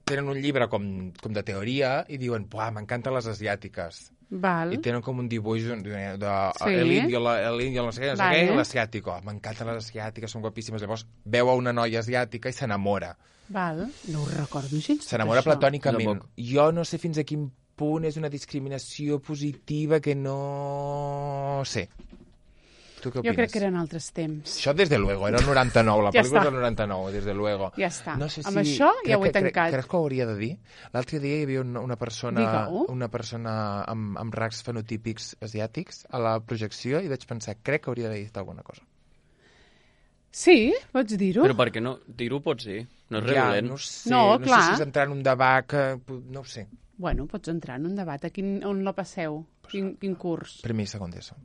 Tenen un llibre com de teoria i diuen, m'encanten les asiàtiques. Val. I tenen com un dibuix l'índio, no sé què, l'asiàtic. M'encanten les asiàtiques, són guapíssimes. Llavors veu a una noia asiàtica i s'enamora. Val. No ho recordo gens. S'enamora platònicament. Jo no sé fins a quin punt és una discriminació positiva que no sé. Tu què opines? Jo crec que eren altres temps. Això des de luego, era el 99, la pel·lícula és del 99, des de luego. Ja està. No sé si... Amb això ja ho he tancat. Crec que ho hauria de dir. L'altre dia hi havia una persona amb rasgs fenotípics asiàtics a la projecció i vaig pensar, crec que hauria d'haver dit alguna cosa. Sí, pots dir-ho. Però perquè no? Dir-ho pots dir. No és regulent. No sé, clar. No sé si és entrar en un debat que... No ho sé. Bueno, pots entrar en un debat. On la passeu? Quin curs? Primer i segon d'ESO.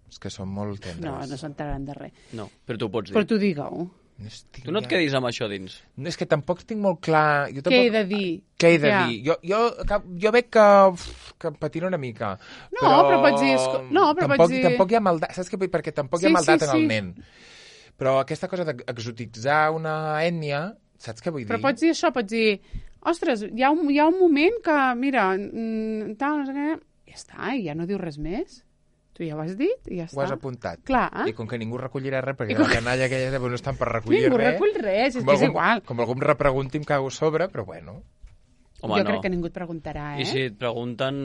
És que són molt tendres. No s'enteraran de res. No, però tu pots dir. Però tu digue-ho. Tu no et quedis amb això dins. No, és que tampoc tinc molt clar... Què he de dir? Què he de dir? Jo veig que patina una mica. No, però pots dir... No, però pots dir... Tampoc hi ha maldat, saps què? Perquè tampoc hi ha maldat en el nen. Però aquesta cosa d'exotitzar una ètnia, saps què vull dir? Però pots dir això, pots dir... Ostres, hi ha un moment que, mira, tal, no sé què... Ja està, i ja no dius res més. Tu ja ho has dit i ja està. Ho has apuntat. Clar. I com que ningú recollirà res, perquè la canalla aquella no estan per recollir res... Ningú recull res, és que és igual. Com algú em repregunti, em cago a sobre, però bueno... Home, jo crec que ningú et preguntarà, I si et pregunten,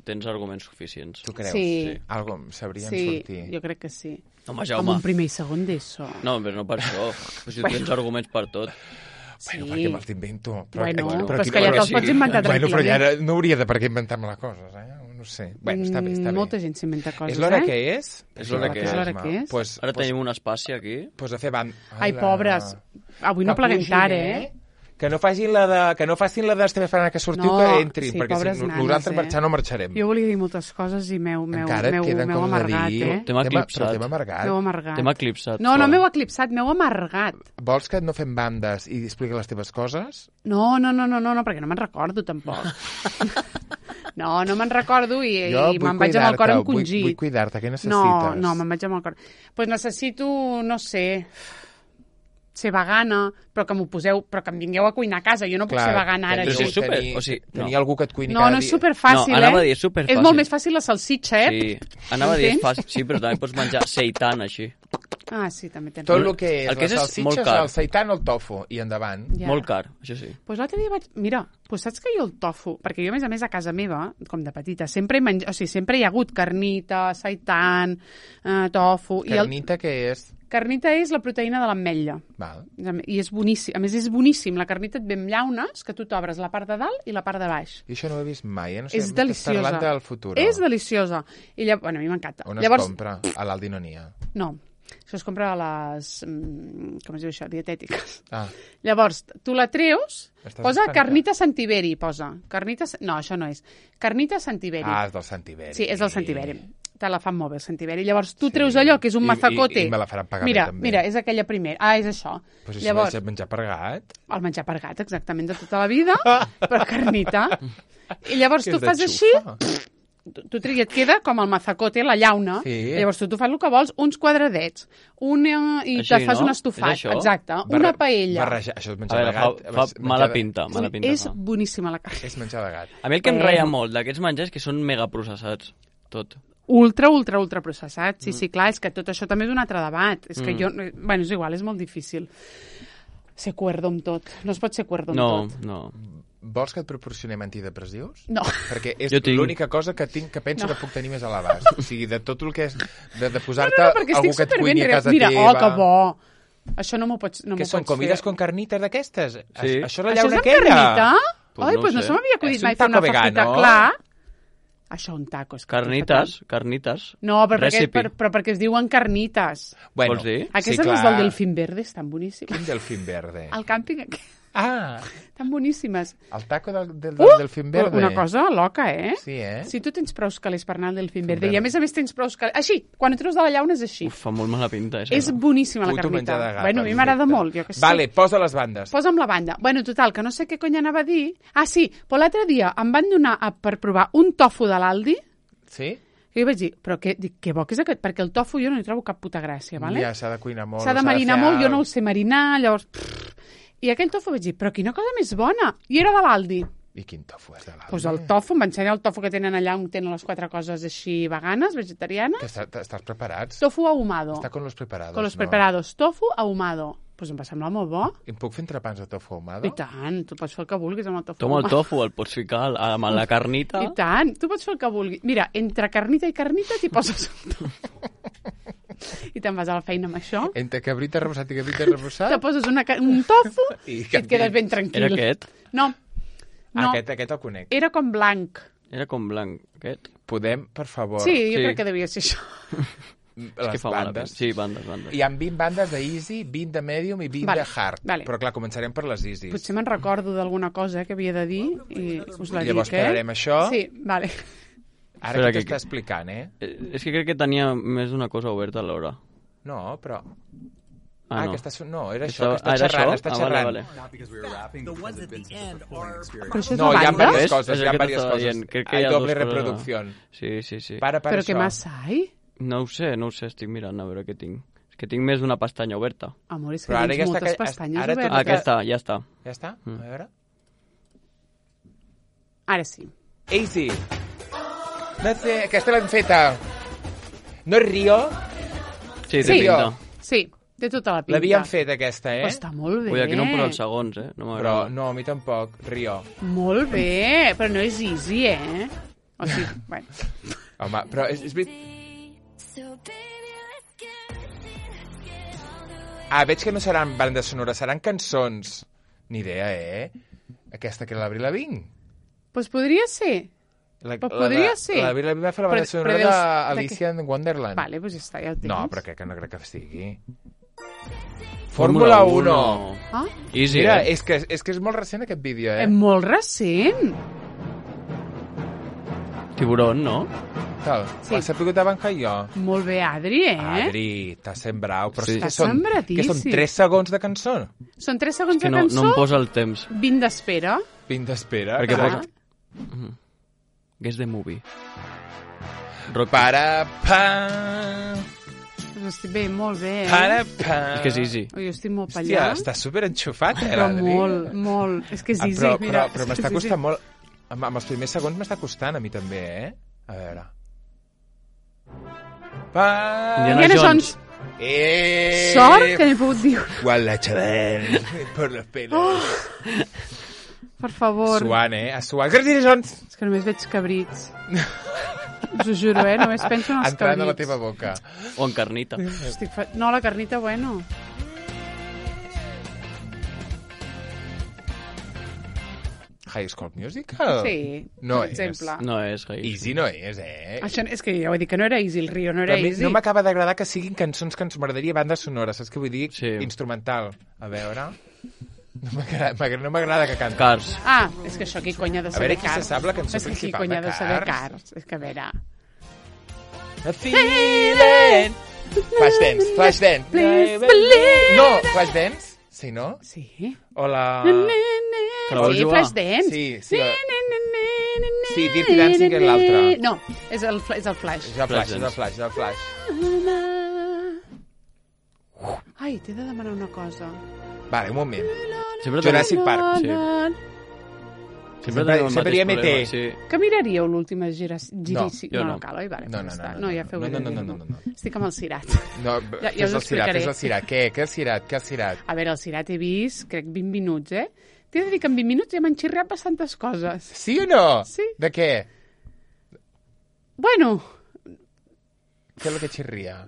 tens arguments suficients. Tu creus? Sí. Algo sabrien sortir. Sí, jo crec que sí. Home, Jaume. Amb un primer i segon d'ESO. No, però no per això. Però si tens arguments per tot. Bueno, perquè me'ls invento. Però és que ja te'ls pots inventar tranquil·lament. Però ja no hauria de per què inventar-me les coses, No sé. Bueno, està bé. Molta gent s'inventa coses, És l'hora que és? És l'hora que és. Pues, ara tenim un espaci aquí. Pues a fer banda. Ai, pobres. Avui no pleguem tard, Que no facin la d'Esteve Ferran que sortiu, que entrin, perquè si nosaltres marxar no marxarem. Jo volia dir moltes coses i m'heu amargat, T'hem eclipsat. T'hem eclipsat. No m'heu eclipsat, m'heu amargat. Vols que no fem bandes i expliqui les teves coses? No, perquè no me'n recordo, tampoc. No me'n recordo i me'n vaig amb el cor encongit. Vull cuidar-te, què necessites? No, me'n vaig amb el cor. Doncs necessito, no sé... ser vegana, però que m'ho poseu, però que em vingueu a cuinar a casa. Jo no puc ser vegana ara. Tenir algú que et cuini cada dia. No és superfàcil, anava a dir, és superfàcil. És molt més fàcil la salsitxa, Sí, anava a dir, és fàcil. Sí, però també pots menjar seitan, així. Ah, sí, també tens. Tot el que és les salsitxes, el seitan o el tofu, i endavant. Molt car, això sí. Doncs l'altre dia vaig... Mira, saps que jo el tofu... Perquè jo, a més, a casa meva, com de petita, sempre hi ha hagut carnita, seitan, tofu... Carnita què és? Carnita és la proteïna de l'ametlla. Val. I és boníssim. A més, és boníssim. La carnita et ve amb llaunes, que tu t'obres la part de dalt i la part de baix. I això no ho he vist mai, No sé, és deliciosa. Parlant del futur. És deliciosa. I bueno, a mi m'encanta. On es compra? A l'Aldi no n'hi ha. No. Això es compra a les... com es diu això? Dietètiques. Ah. Llavors, tu la treus, posa carnita Santiberi, posa. No, això no és. Carnita Santiberi. Ah, és del Santiberi. Sí, és del Santiberi. Te la fan molt bé, el Santiberi. Llavors, tu treus allò, que és un mazacote. I me la faran pagar bé, també. Mira, és aquella primera. Ah, és això. Pues això llavors, és menjar per gat? El menjar per gat, exactament, de tota la vida, però carnita. I llavors tu fas així... et queda com el mazacote, la llauna. Sí. Llavors tu fas el que vols, uns quadradets, i te fas un estofat. Exacte, una paella. Això és menjar de gat. Fa mala pinta. És boníssima la carn. És menjar de gat. A mi el que em reia molt d'aquests menjars és que són megaprocessats, tot. Ultra processat. Sí, clar, és que tot això també és un altre debat. És que jo... Bueno, és igual, és molt difícil ser cuerdo amb tot. No es pot ser cuerdo amb tot. No. Vols que et proporcionem antidepressius? No. Perquè és l'única cosa que penso que puc tenir més a l'abast. O sigui, de tot el que és de posar-te algú que et cuini a casa teva... Mira, que bo! Això no m'ho pots fer. Què són, comides con carnites d'aquestes? Sí. Això és la llauna aquella? Això és amb carnita? Ai, doncs no se m'havia acudit mai fer una fafita. Clar. Això un taco. Carnites. No, però perquè es diuen carnites. Bueno, vols dir? Aquestes les del Delfín Verde estan boníssimes. Quin Delfín Verde? El càmping aquest. Ah! Estan boníssimes. El taco del Delfín Verde. Una cosa loca, Sí, Si tu tens prou calés per anar al Delfín Verde, i a més tens prou calés... Així, quan ho treus de la llauna és així. Fa molt mala pinta. És boníssima la carnita. Bueno, a mi m'agrada molt, jo que sé. Vale, posa les bandes. Posa'm la banda. Bueno, total, que no sé què cony anava a dir. Ah, sí, però l'altre dia em van donar per provar un tofu de l'Aldi. Sí? I jo vaig dir, però què bo que és aquest? Perquè el tofu jo no hi trobo cap puta gràcia, vale? Ja, s'ha de cuinar molt. S'ha de marinar molt, jo no el sé marinar, llavors... I aquell tofu vaig dir, però quina cosa més bona! I era de l'Aldi. I quin tofu és de l'Aldi? Doncs el tofu, em va ensenyar el tofu que tenen allà on tenen les 4 coses així veganes, vegetarianes. Estàs preparats? Tofu ahumado. Està con los preparados, Con los preparados. Tofu ahumado. Doncs em va semblar molt bo. Em puc fer entrepans de tofu ahumado? I tant, tu pots fer el que vulguis amb el tofu ahumado. El tofu el pots ficar amb la carnita. I tant, tu pots fer el que vulguis. Mira, entre carnita i carnita t'hi poses el tofu. I te'n vas a la feina amb això. Entre cabrita rebussat i cabrita rebussat? Te poses un tofu i et quedes ben tranquil. Era aquest? No. Aquest el conec. Era com blanc. Era com blanc, aquest? Podem, per favor... Sí, jo crec que devia ser això. les bandes. Sí, bandes. Hi ha 20 bandes d'easy, 20 de medium i 20 de hard. Però clar, començarem per les easy. Potser me'n recordo d'alguna cosa que havia de dir i us la dic, Llavors parlarem això. Sí, vale. Ara què t'està explicant, És que crec que tenia més d'una cosa oberta alhora. No, però... no. No, era això, que està xerrant. Vale. Però això és No, hi ha bandes? diverses coses. Crec que hi ha doble dos coses. reproducció. Sí. Para Però això. què massa hay? No ho sé, estic mirant a veure què tinc. És que tinc més d'una pestanya oberta. Amor, és que Però ara tens ja moltes està- pestanyes ara tot- obertes. Aquesta, ja està. Ja està? A veure. Ara sí. Easy. Aquesta l'hem feta. No és Rio? Sí, Sí. pinta. Sí, té tota la pinta. L'havíem fet, aquesta, Però està molt bé. Ui, aquí no em posa els segons, No Però m'agrada. no, a mi tampoc. Rio. Molt bé, però no és easy, O sigui, bueno. Home, però és veritat... Veig que no seran bandes sonores, seran cançons. Ni idea, Aquesta que era l'Avril Lavigne. Doncs podria ser. Podria ser. L'Avril Lavigne va fer la banda sonora d'Alicia in Wonderland. Vale, doncs ja està, ja ho tens. No, però no crec que sigui. Fórmula 1. Ah? Easy, Mira, és que és molt recent aquest vídeo, És molt recent. Tiburón, no? Tal. Sí. Ho has sabut abans que jo. Molt bé, Adri, Adri, t'has sembrat. Però Sí. que T'has són sembradíssim. 3 segons de cançó? Són 3 segons Que de no cançó, em posa el temps. 20 d'espera. 20 d'espera. Perquè Clar. Guess the movie. Rock. Para, pa, Doncs estic bé, molt bé, para, pa. És que és easy. Jo estic molt Hòstia, pallà. estàs superenxufat, Però l'Adri. molt, molt. És que és easy, mira. Però m'està costant molt... Amb els primers segons m'està costant a mi també, A veure... Indiana Jones. Sort que n'he pogut dir. Guadalajara, por los pelos. Per favor. Suant, Suant. Indiana Jones! És que només veig cabrits. Us ho juro, només penso en els Entrant a la cabrits. teva boca. O en carnita. No, la carnita, bueno. High School Musical? Sí, No per és. exemple. No és High School. Easy no és, Això, és que ja ho he dit, que no era easy, el Rio no era Però a mi easy. no m'acaba d'agradar que siguin cançons que ens m'agradaria bandes sonores, saps què vull dir? Sí. Instrumental. A veure... No m'agrada que canti. Cars. Ah, és que això qui cony ha de A saber veure qui se Cars. sap la cançó És que qui principal cony ha de de saber Cars. Cars. És que a veure... A feeling. Flashdance, Flashdance. Please believe. No, Flashdance. Sí, no? Sí. O la... Que la vols Sí, jugar? Flashdance. Sí. Sí, Dirty Dancing és l'altra. No, és el Flash. És el Flash, és el Flash, és el Flash. Ai, t'he de demanar una cosa. Vale, un moment. Sempre Jurassic Park. Sí. Sempre tenim el hi ha mateix MT. problema, sí. Que miraríeu l'última girici? jo no. No cal, oi? Vale, No, doncs no, ja està. no, No, ja feu bé de no, dir-m'ho. no. Estic amb el Cirat. No, Ja us fes el Cirat, explicaré. fes el Cirat. Què el Cirat? Què el Cirat? A veure, el Cirat he vist, crec, 20 minuts, T'he de dir que en 20 minuts ja m'han xirriat bastantes coses. Sí o no? Sí. De què? Bueno, Què és el que xirria?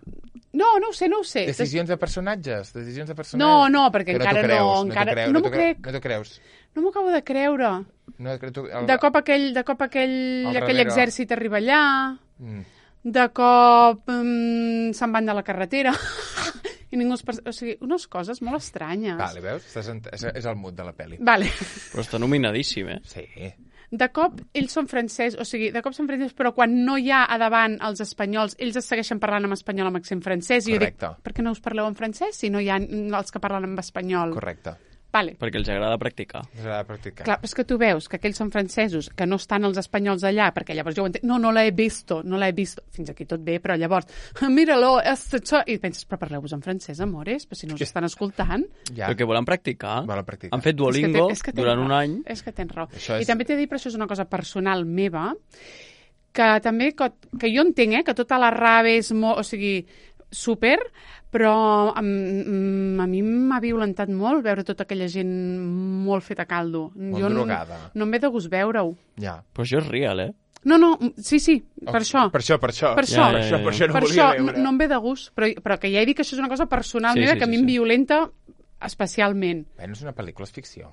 no ho sé. Decisions de personatges? Decisions de personatges? No, perquè Que encara t'ho creus, no. Encara... t'ho No creus, m'ho crec. No t'ho creus. No m'ho acabo de creure. No, De cop aquell darrere. exèrcit arriba allà, Mm. de cop se'n van de la carretera i ningú es... O sigui, unes coses molt estranyes. Vale, veus? És el mood de la pel·li. Vale. Però està nominadíssim, Sí. De cop ells són francesos, o sigui, de cop són francesos, però quan no hi ha a davant els espanyols, ells es segueixen parlant en espanyol amb accent francès. I jo dic, Correcte. per què no us parleu en francès si no hi ha els que parlen en espanyol? Correcte. Vale. perquè els agrada practicar. S'ha de practicar. Clar, però és que tu veus que aquells són francesos, que no estan els espanyols allà, perquè llavors jo ho entenc, no l'he visto. Fins aquí tot bé, però llavors, mira-lo, i penses, però parleu-vos en francès, amores, però si no us estan escoltant. Ja. Perquè volen practicar. Volen practicar. Han fet Duolingo És que tens durant raó. un any. És que tens raó. Això és- I també t'he de dir, però això és una cosa personal meva, que també, que jo entenc, que tota la rave és molt, o sigui, super, però a mi m'ha violentat molt veure tota aquella gent molt feta a caldo. Molt drogada. No em ve de gust veure-ho. Ja. Però això és real, No, sí, per això. Per això. Per això. Per això no Per volia això veure. no em ve de gust, però que ja he dit que això és una cosa personal Sí, meva sí, que a mi sí, em sí. violenta especialment. Bueno, és una pel·lícula, és ficció.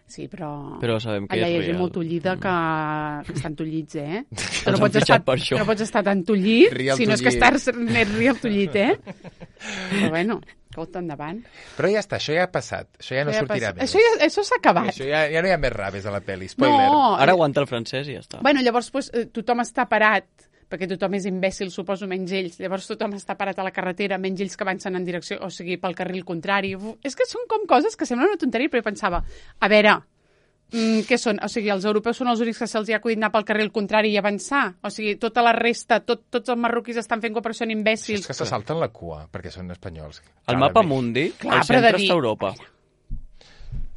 Sí, però sabem que allà és hi ha gent real. molt tullida que estan tullits, eh? Que Els han fitxat per això. no pots estar tan tullit, Real si no és que tullit. estàs més real tullit, eh? Però bueno, escolta, endavant. Però ja està, això ja ha passat. Això ja no sortirà més. Això s'ha acabat. Això ja no hi ha més raves a la pel·li. Spoiler. No, Ara aguanta el francès i ja està. bueno, llavors pues, tothom està parat, perquè tothom és imbècil, suposo, menys ells. Llavors tothom està parat a la carretera, menys ells que avancen en direcció, o sigui, pel carril contrari. És que són com coses que semblen una tonteria, però jo pensava, a veure, què són? O sigui, els europeus són els únics que se'ls ha acudit anar pel carril contrari i avançar? O sigui, tota la resta, tots els marroquins estan fent com per són imbècils. És que se salten la cua, perquè són espanyols. El mapa mundi, Clar, al però de centre dir- està Europa.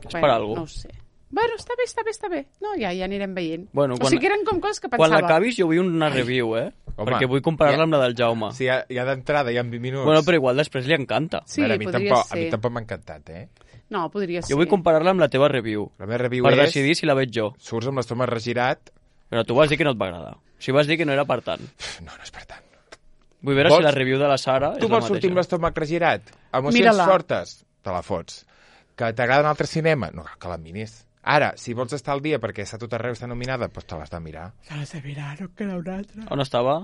És per alguna No ho sé. Bueno, està bé. No, ja anirem veient. Bueno, o sigui, que eren com coses que Quan pensava. l'acabis jo vull una review, Home, perquè vull comparar-la amb la del Jaume. Sí, ja d'entrada, ja en 20 minuts. Bueno, però igual després li encanta. Sí, a mi podria tampoc, ser. A mi tampoc m'ha encantat, eh? No, podria ser. Jo vull comparar-la amb la teva review, La meva review per és... decidir si la veig jo. Surts amb l'estómac regirat... Però tu vas dir que no et va agradar. O sigui, vas dir que no era per tant. No és per tant. Vull veure Vols- si la review de la Sara Tu és la vols sortir amb mateixa. l'estómac regirat? Emocions Mira-la. fortes? Te la fots. Que t'agrada un altre cinema? No, que la miris. Ara, si vols estar al dia perquè està tot arreu, està nominada, doncs te l'has de mirar. Te l'has de mirar, no queda una altra. On estava?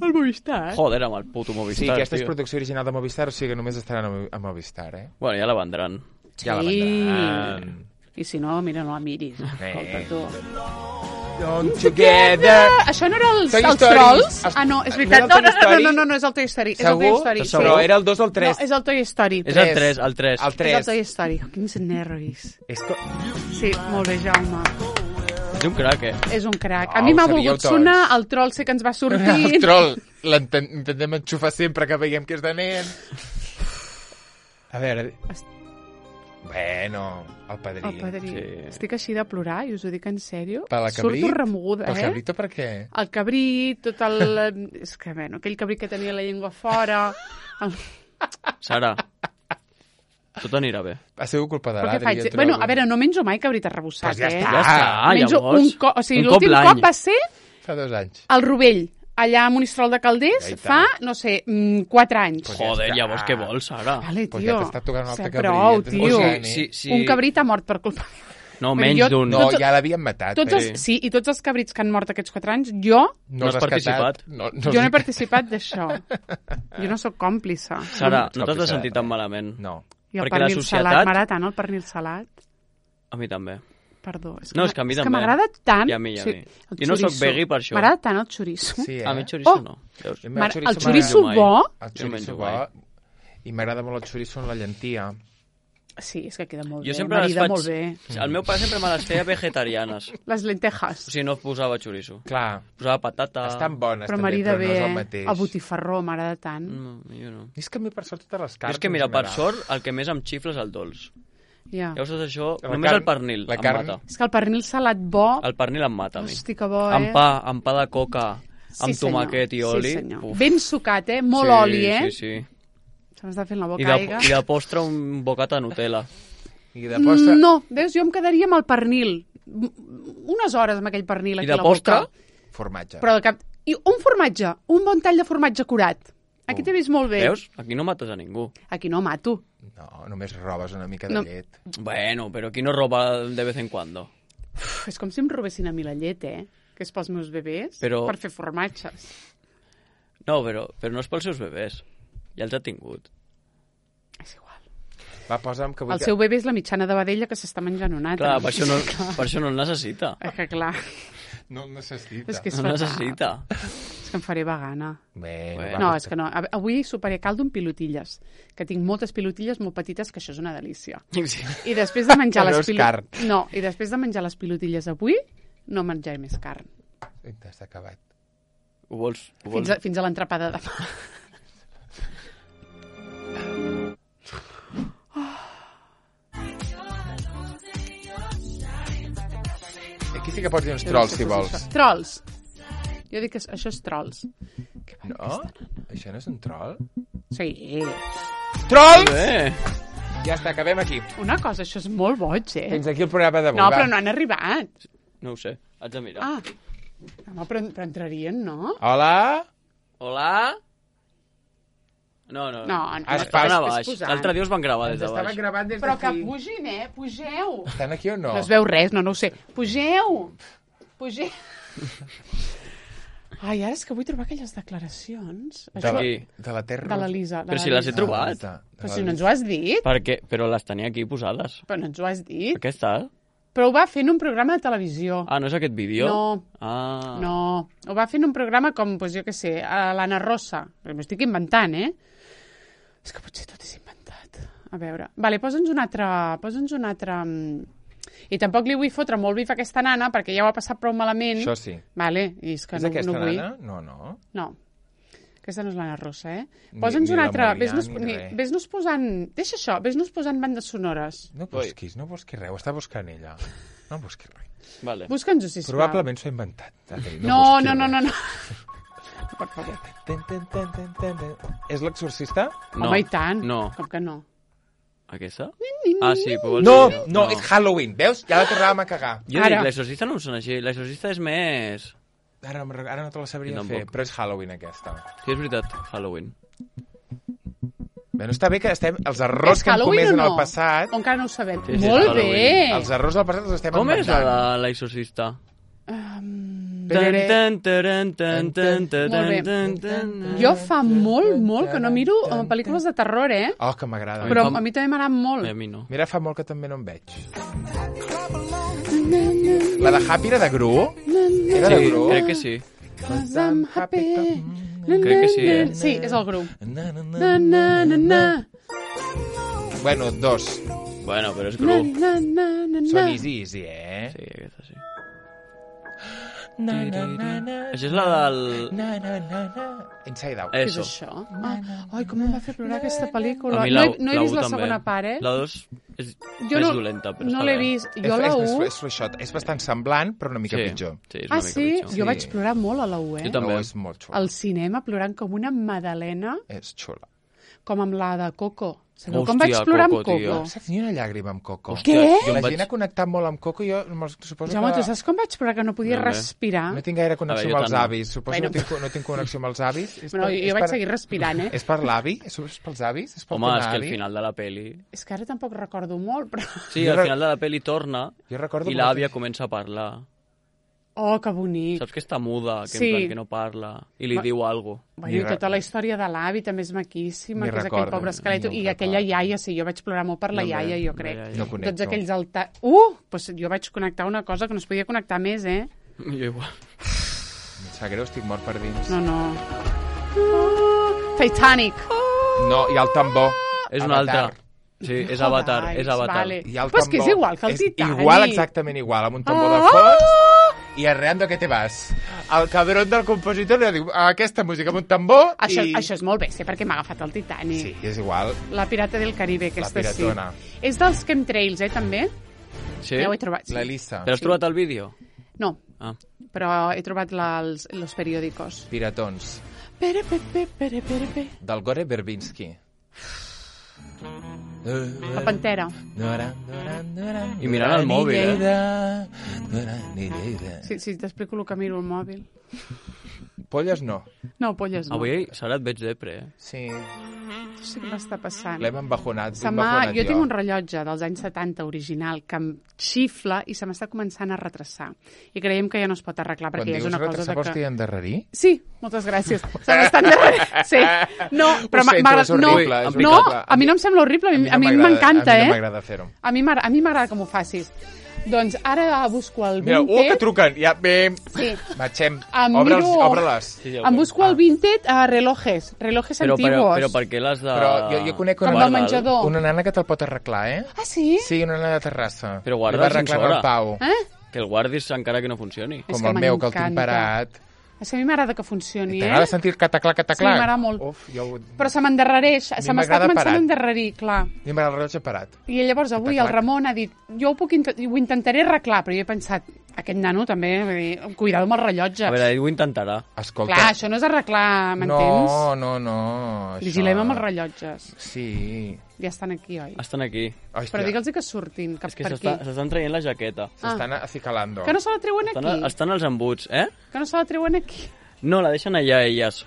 El Movistar. Joder, amb el puto Sí, Movistar, aquesta és tio. producció original de Movistar, o sigui que només estaran a Movistar, eh? Bueno, ja la vendran. Ja la vendran. I si no, mira, no la miris. Escolta, tu. Together. Això no era els Toy els Story. trolls? Els- Ah, no, és no veritat. era el Toy Story? No, és el Toy Story. És el Toy Segur? Story. Segur? Però era el 2 o el 3? No, és el Toy Story. És el 3, el 3. El És el 3. Toy Story. Oh, quins nervis. És que... Sí, molt bé, Jaume. És un crac, eh? És un crac. Oh, A mi m'ha ho sabíeu volgut tots. sonar, el troll sé que ens va sortir. El troll l'intentem enxufar sempre que veiem que és de nen. A veure... Bueno, el padrí. El padrí. Sí. Estic així de plorar, i us ho dic en sèrio. Per la cabrit? Surto remoguda, Pel eh? cabrito per què? El cabrit, tot el... És que, bueno, aquell cabrit que tenia la llengua fora... El... Sara, tot anirà bé. Ha sigut culpa de Però què l'Adri. faig? jo trobo. Bueno, a veure, no menjo mai cabrit arrebossat, Pues ja eh? està. Ja està, Menjo llavors. un cop... O sigui, un cop l'últim l'any. cop va ser Fa 2 anys. al Rovell, allà a Monistrol de Calders, Ja hi fa, està. no sé, 4 anys. Pues ja Joder, està. llavors què vols, Sara? Vale, Pues tio. ja t'està tocant un altre O sigui, cabrit, prou, ja t'estàs tio. posant, eh? Sí. Un cabrit ha mort per culpa meva. No, Vull dir, menys jo- d'un. No, Tots- ja l'havien matat. Tots els, sí, i tots els cabrits que han mort aquests 4 anys, jo No has has participat. catat. No, jo no he participat d'això. Jo no sóc còmplice. Sara, no t'has de Còmplice. sentir tan malament. No. I el perquè la pernil societat- salat, m'agrada tant el pernil salat. A mi també. Perdó, és No, és que a mi és que també. m'agrada tant... I a mi, i a mi. el Jo no soc xoriço. veggie per això. M'agrada tant el xoriço. Sí, eh? A mi xoriço Oh! no. Veus? A mi el El xoriço mai. bo... El Jo menjo xoriço bo. I m'agrada molt el xoriço en la llentia. Sí, és que queda molt Jo bé, sempre les marida faig... molt bé. El meu pare sempre me les feia vegetarianes. Les lentejas. O sigui, no posava xoriço. Clar, Posava patata... estan bones Però també, marida però bé, no és el mateix. el botifarró m'agrada tant. No, jo no. És que a mi per sort totes les Jo carns... és que, mira, en per general. sort, el que més em xifla és el dolç. Ja. Llavors, això, La només carn- el pernil la em carn- mata. És que el pernil salat bo... El pernil em mata, a mi. Hosti, que bo, Amb eh? pa de coca, amb tomàquet i oli. Sí, senyor. Uf. Ben sucat, eh? Molt Sí, oli, eh? Sí, sí. Se m'està fent la boca aigua. I de postre un bocat de Nutella. I de postre... No, veus, jo em quedaria amb el pernil. Unes hores amb aquell pernil I aquí de a la boca. postre? Formatge. Però de cap... I un formatge, un bon tall de formatge curat. Aquí t'he vist molt bé. Veus? Aquí no mates a ningú. Aquí no mato. No, només robes una mica de No. llet. Bueno, però qui no roba de vez en cuando? Uf, és com si em robessin a mi la llet, eh? Que és pels meus bebès, Però- per fer formatges. No, però no és pels seus bebès. Ja els ha tingut. És igual. Va, posa'm que vull El seu bebè és la mitjana de vedella que s'està menjant un altre. Clar, per això no el necessita. És que clar, No el necessita. és que és No fatal. necessita. És que em faré vegana. Bé, Bueno. No, és que no. Avui soparé caldo amb pilotilles, que tinc moltes pilotilles molt petites, que això és una delícia. Sí. I després de menjar Que no les és carn. No, i després de menjar les pilotilles avui, no menjaré més carn. Està acabat. Ho vols? Ho vols? Fins a l'entrapada de demà. Aquí sí que pots dir uns trolls, si vols. Trolls. Jo dic que això és trolls. No? Això no és un troll? Sí. Trolls! Bé. Ja està, acabem aquí. Una cosa, això és molt boig, eh? Fins aquí el programa d'avui. No, va. però no han arribat. No ho sé. Haig de mirar. Ah. Home, però entrarien, no? Hola? Hola? No. Estan a baix. L'altre dia us van gravar des de baix. Gravant des Però que pugin, pugeu. Estan aquí o no? No es veu res, no ho sé. Pugeu. Ai, ara és que vull trobar aquelles declaracions. De la Terra. De l'Elisa. Però si les he trobat. Però si no ens ho has dit. Però les tenia aquí posades. Però no ens ho has dit. Per què està? Però ho va fer en un programa de televisió. Ah, no és aquest vídeo? No. No. Ho va fer en un programa com, jo què sé, l'Anna Rosa. M'ho estic inventant, És que potser tot és inventat. A veure. Vale, posa'ns un altre... I tampoc li vull fotre molt bif a aquesta nana, perquè ja ho ha passat prou malament. Això sí. Vale, i és que és no aquesta vull. nana? No. Aquesta no és l'Anna Rosa, Posa'ns una altra... Ves-nos posant... Deixa això, ves-nos posant bandes sonores. No busquis res, ho està buscant ella. No busquis res. Vale. Busca'ns-ho, sisplau. Probablement s'ho ha inventat. No. Per favor. És l'exorcista? No. Home, i tant. No. Com que no? Aquesta? Ah, sí, però No, és Halloween, veus? Ja la tornàvem a cagar. Jo dic, l'exorcista no em sona així. L'exorcista és més... Ara no te la sabria fer, però és Halloween aquesta. Sí, és veritat, Halloween. Bé, no està bé que els errors que hem comès en el passat... O encara no ho sabem. Sí, Molt bé! Els errors del passat els estem inventant. Com és la de l'exorcista? Jo fa molt que no miro pel·lícules de terror, Oh, que m'agrada. Però a mi també m'agrada molt. A mi no. Mira, fa molt que també no em veig. La de Happy era de Gru? Era de Gru? Crec que sí. Crec que sí, Sí, és el Gru. Bueno, 2. Bueno, però és Gru. Són easy, Sí, aquesta sí. Això és la del... Inside Out. Què és això? Ai, com em va fer plorar aquesta pel·lícula. A mi No he vist la segona part, La 2 és més dolenta, però no l'he vist. Jo la 1... És fluixot. És bastant semblant, però una mica pitjor. Sí, és una mica pitjor. Jo vaig plorar molt a la 1, Jo també. És molt xula. Al cinema, plorant com una madalena, És xula. com amb la de Coco. Sabeu com vaig plorar amb Coco? No saps ni una llàgrima amb Coco. Què? La gent ha connectat molt amb Coco, jo suposo Jaume, que... tu saps com vaig plorar que no podia respirar? No tinc gaire connexió amb els avis. Suposo que no tinc connexió amb els avis. Bueno, jo vaig seguir respirant, És per l'avi? És pels avis? Home, és que al final de la peli... És que ara tampoc recordo molt, però... Sí, al final de la peli torna i l'àvia comença a parlar. Oh, que bonic. Saps que està muda, que en plan que no parla, i li diu alguna cosa. Bueno, i tota la història de l'avi també és maquíssima, que és aquell pobre esquelet. I aquella iaia, sí, jo vaig plorar molt per la iaia, jo crec. Tots aquells altats... Doncs jo vaig connectar una cosa que no es podia connectar més, Jo igual. Em sap greu, estic mort per dins. No. Titanic. No, i el tambor. És un altre. Sí, és Avatar, és Avatar. Vale. Però és que és igual que el Titanic. Igual, exactament igual, amb un tambor de fons i arreando que te vas. El cabron del compositor li diu aquesta música amb un tambor Això és molt bé, sé perquè m'ha agafat el Titanic. Sí, és igual. La Pirata del Caribe, aquesta sí. La piratona. És dels chemtrails, també? Sí? Ja ho he trobat. L'Elisa. Però has trobat el vídeo? No, però he trobat los periòdicos. Piratons. Pere. Del Gore Verbinski. La Pantera. I mirant el mòbil, Sí, t'explico el que miro al mòbil. Polles no. No, polles no. Avui, Sara, et veig depre, Sí. Sí que m'està passant. L'hem embajonat. Jo tinc un rellotge dels anys 70 original que em xifla i se m'està començant a retrasar. I creiem que ja no es pot arreglar perquè ja és una cosa de que... Quan dius retrasar, vols dir endarrerir? Sí, moltes gràcies. Se m'està endarrerint. Sí. No, però a mi no em sembla horrible, a mi m'encanta, A mi no m'agrada fer-ho. A mi m'agrada que m'ho facis. Doncs ara busco el Vinted... Mira, que truquen. Ja, bé. Sí. Marxem. Obre-les. Em busco el Vinted a relojes antiguos. Però per què les de... Però jo conec una nana que te'l pot arreglar, Ah, sí? Sí, una nana de Terrassa. Però guarda el sensor. Que el guardis encara que no funcioni. Com el meu, que el tinc parat. És que a mi m'agrada que funcioni, T'agrada sentir el cataclac? Sí, m'agrada molt. Però se m'endarrereix, se m'està començant a endarrerir, clar. A mi m'agrada el rellotge parat. I llavors avui el Ramon ha dit, jo ho intentaré arreglar, però jo he pensat, aquest nano també, cuidado amb el rellotge. A veure, ell ho intentarà. Escolta. Clar, això no és arreglar, m'entens? No. Vigilem amb els rellotges. Sí. Ja estan aquí, oi? Estan aquí. Però digue'ls que surtin, cap per aquí. S'estan traient la jaqueta. S'estan acicalando. Que no se la treuen aquí? Estan als embuts, Que no se la treuen aquí? No, la deixen allà, elles.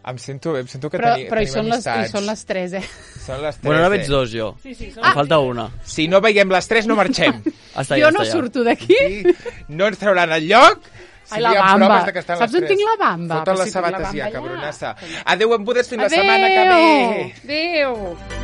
Em sento que però tenim amistats. Són les 3, Són les 3, Bueno, ara veig 2, jo. Sí, em falta una. Si no veiem les 3, no marxem. Jo no surto d'aquí. No ens trauran el lloc. Ai, la bamba. Saps on tinc la bamba? Foten les sabates ja, cabronassa. Adéu, embudes, fins la setmana que ve. Adéu.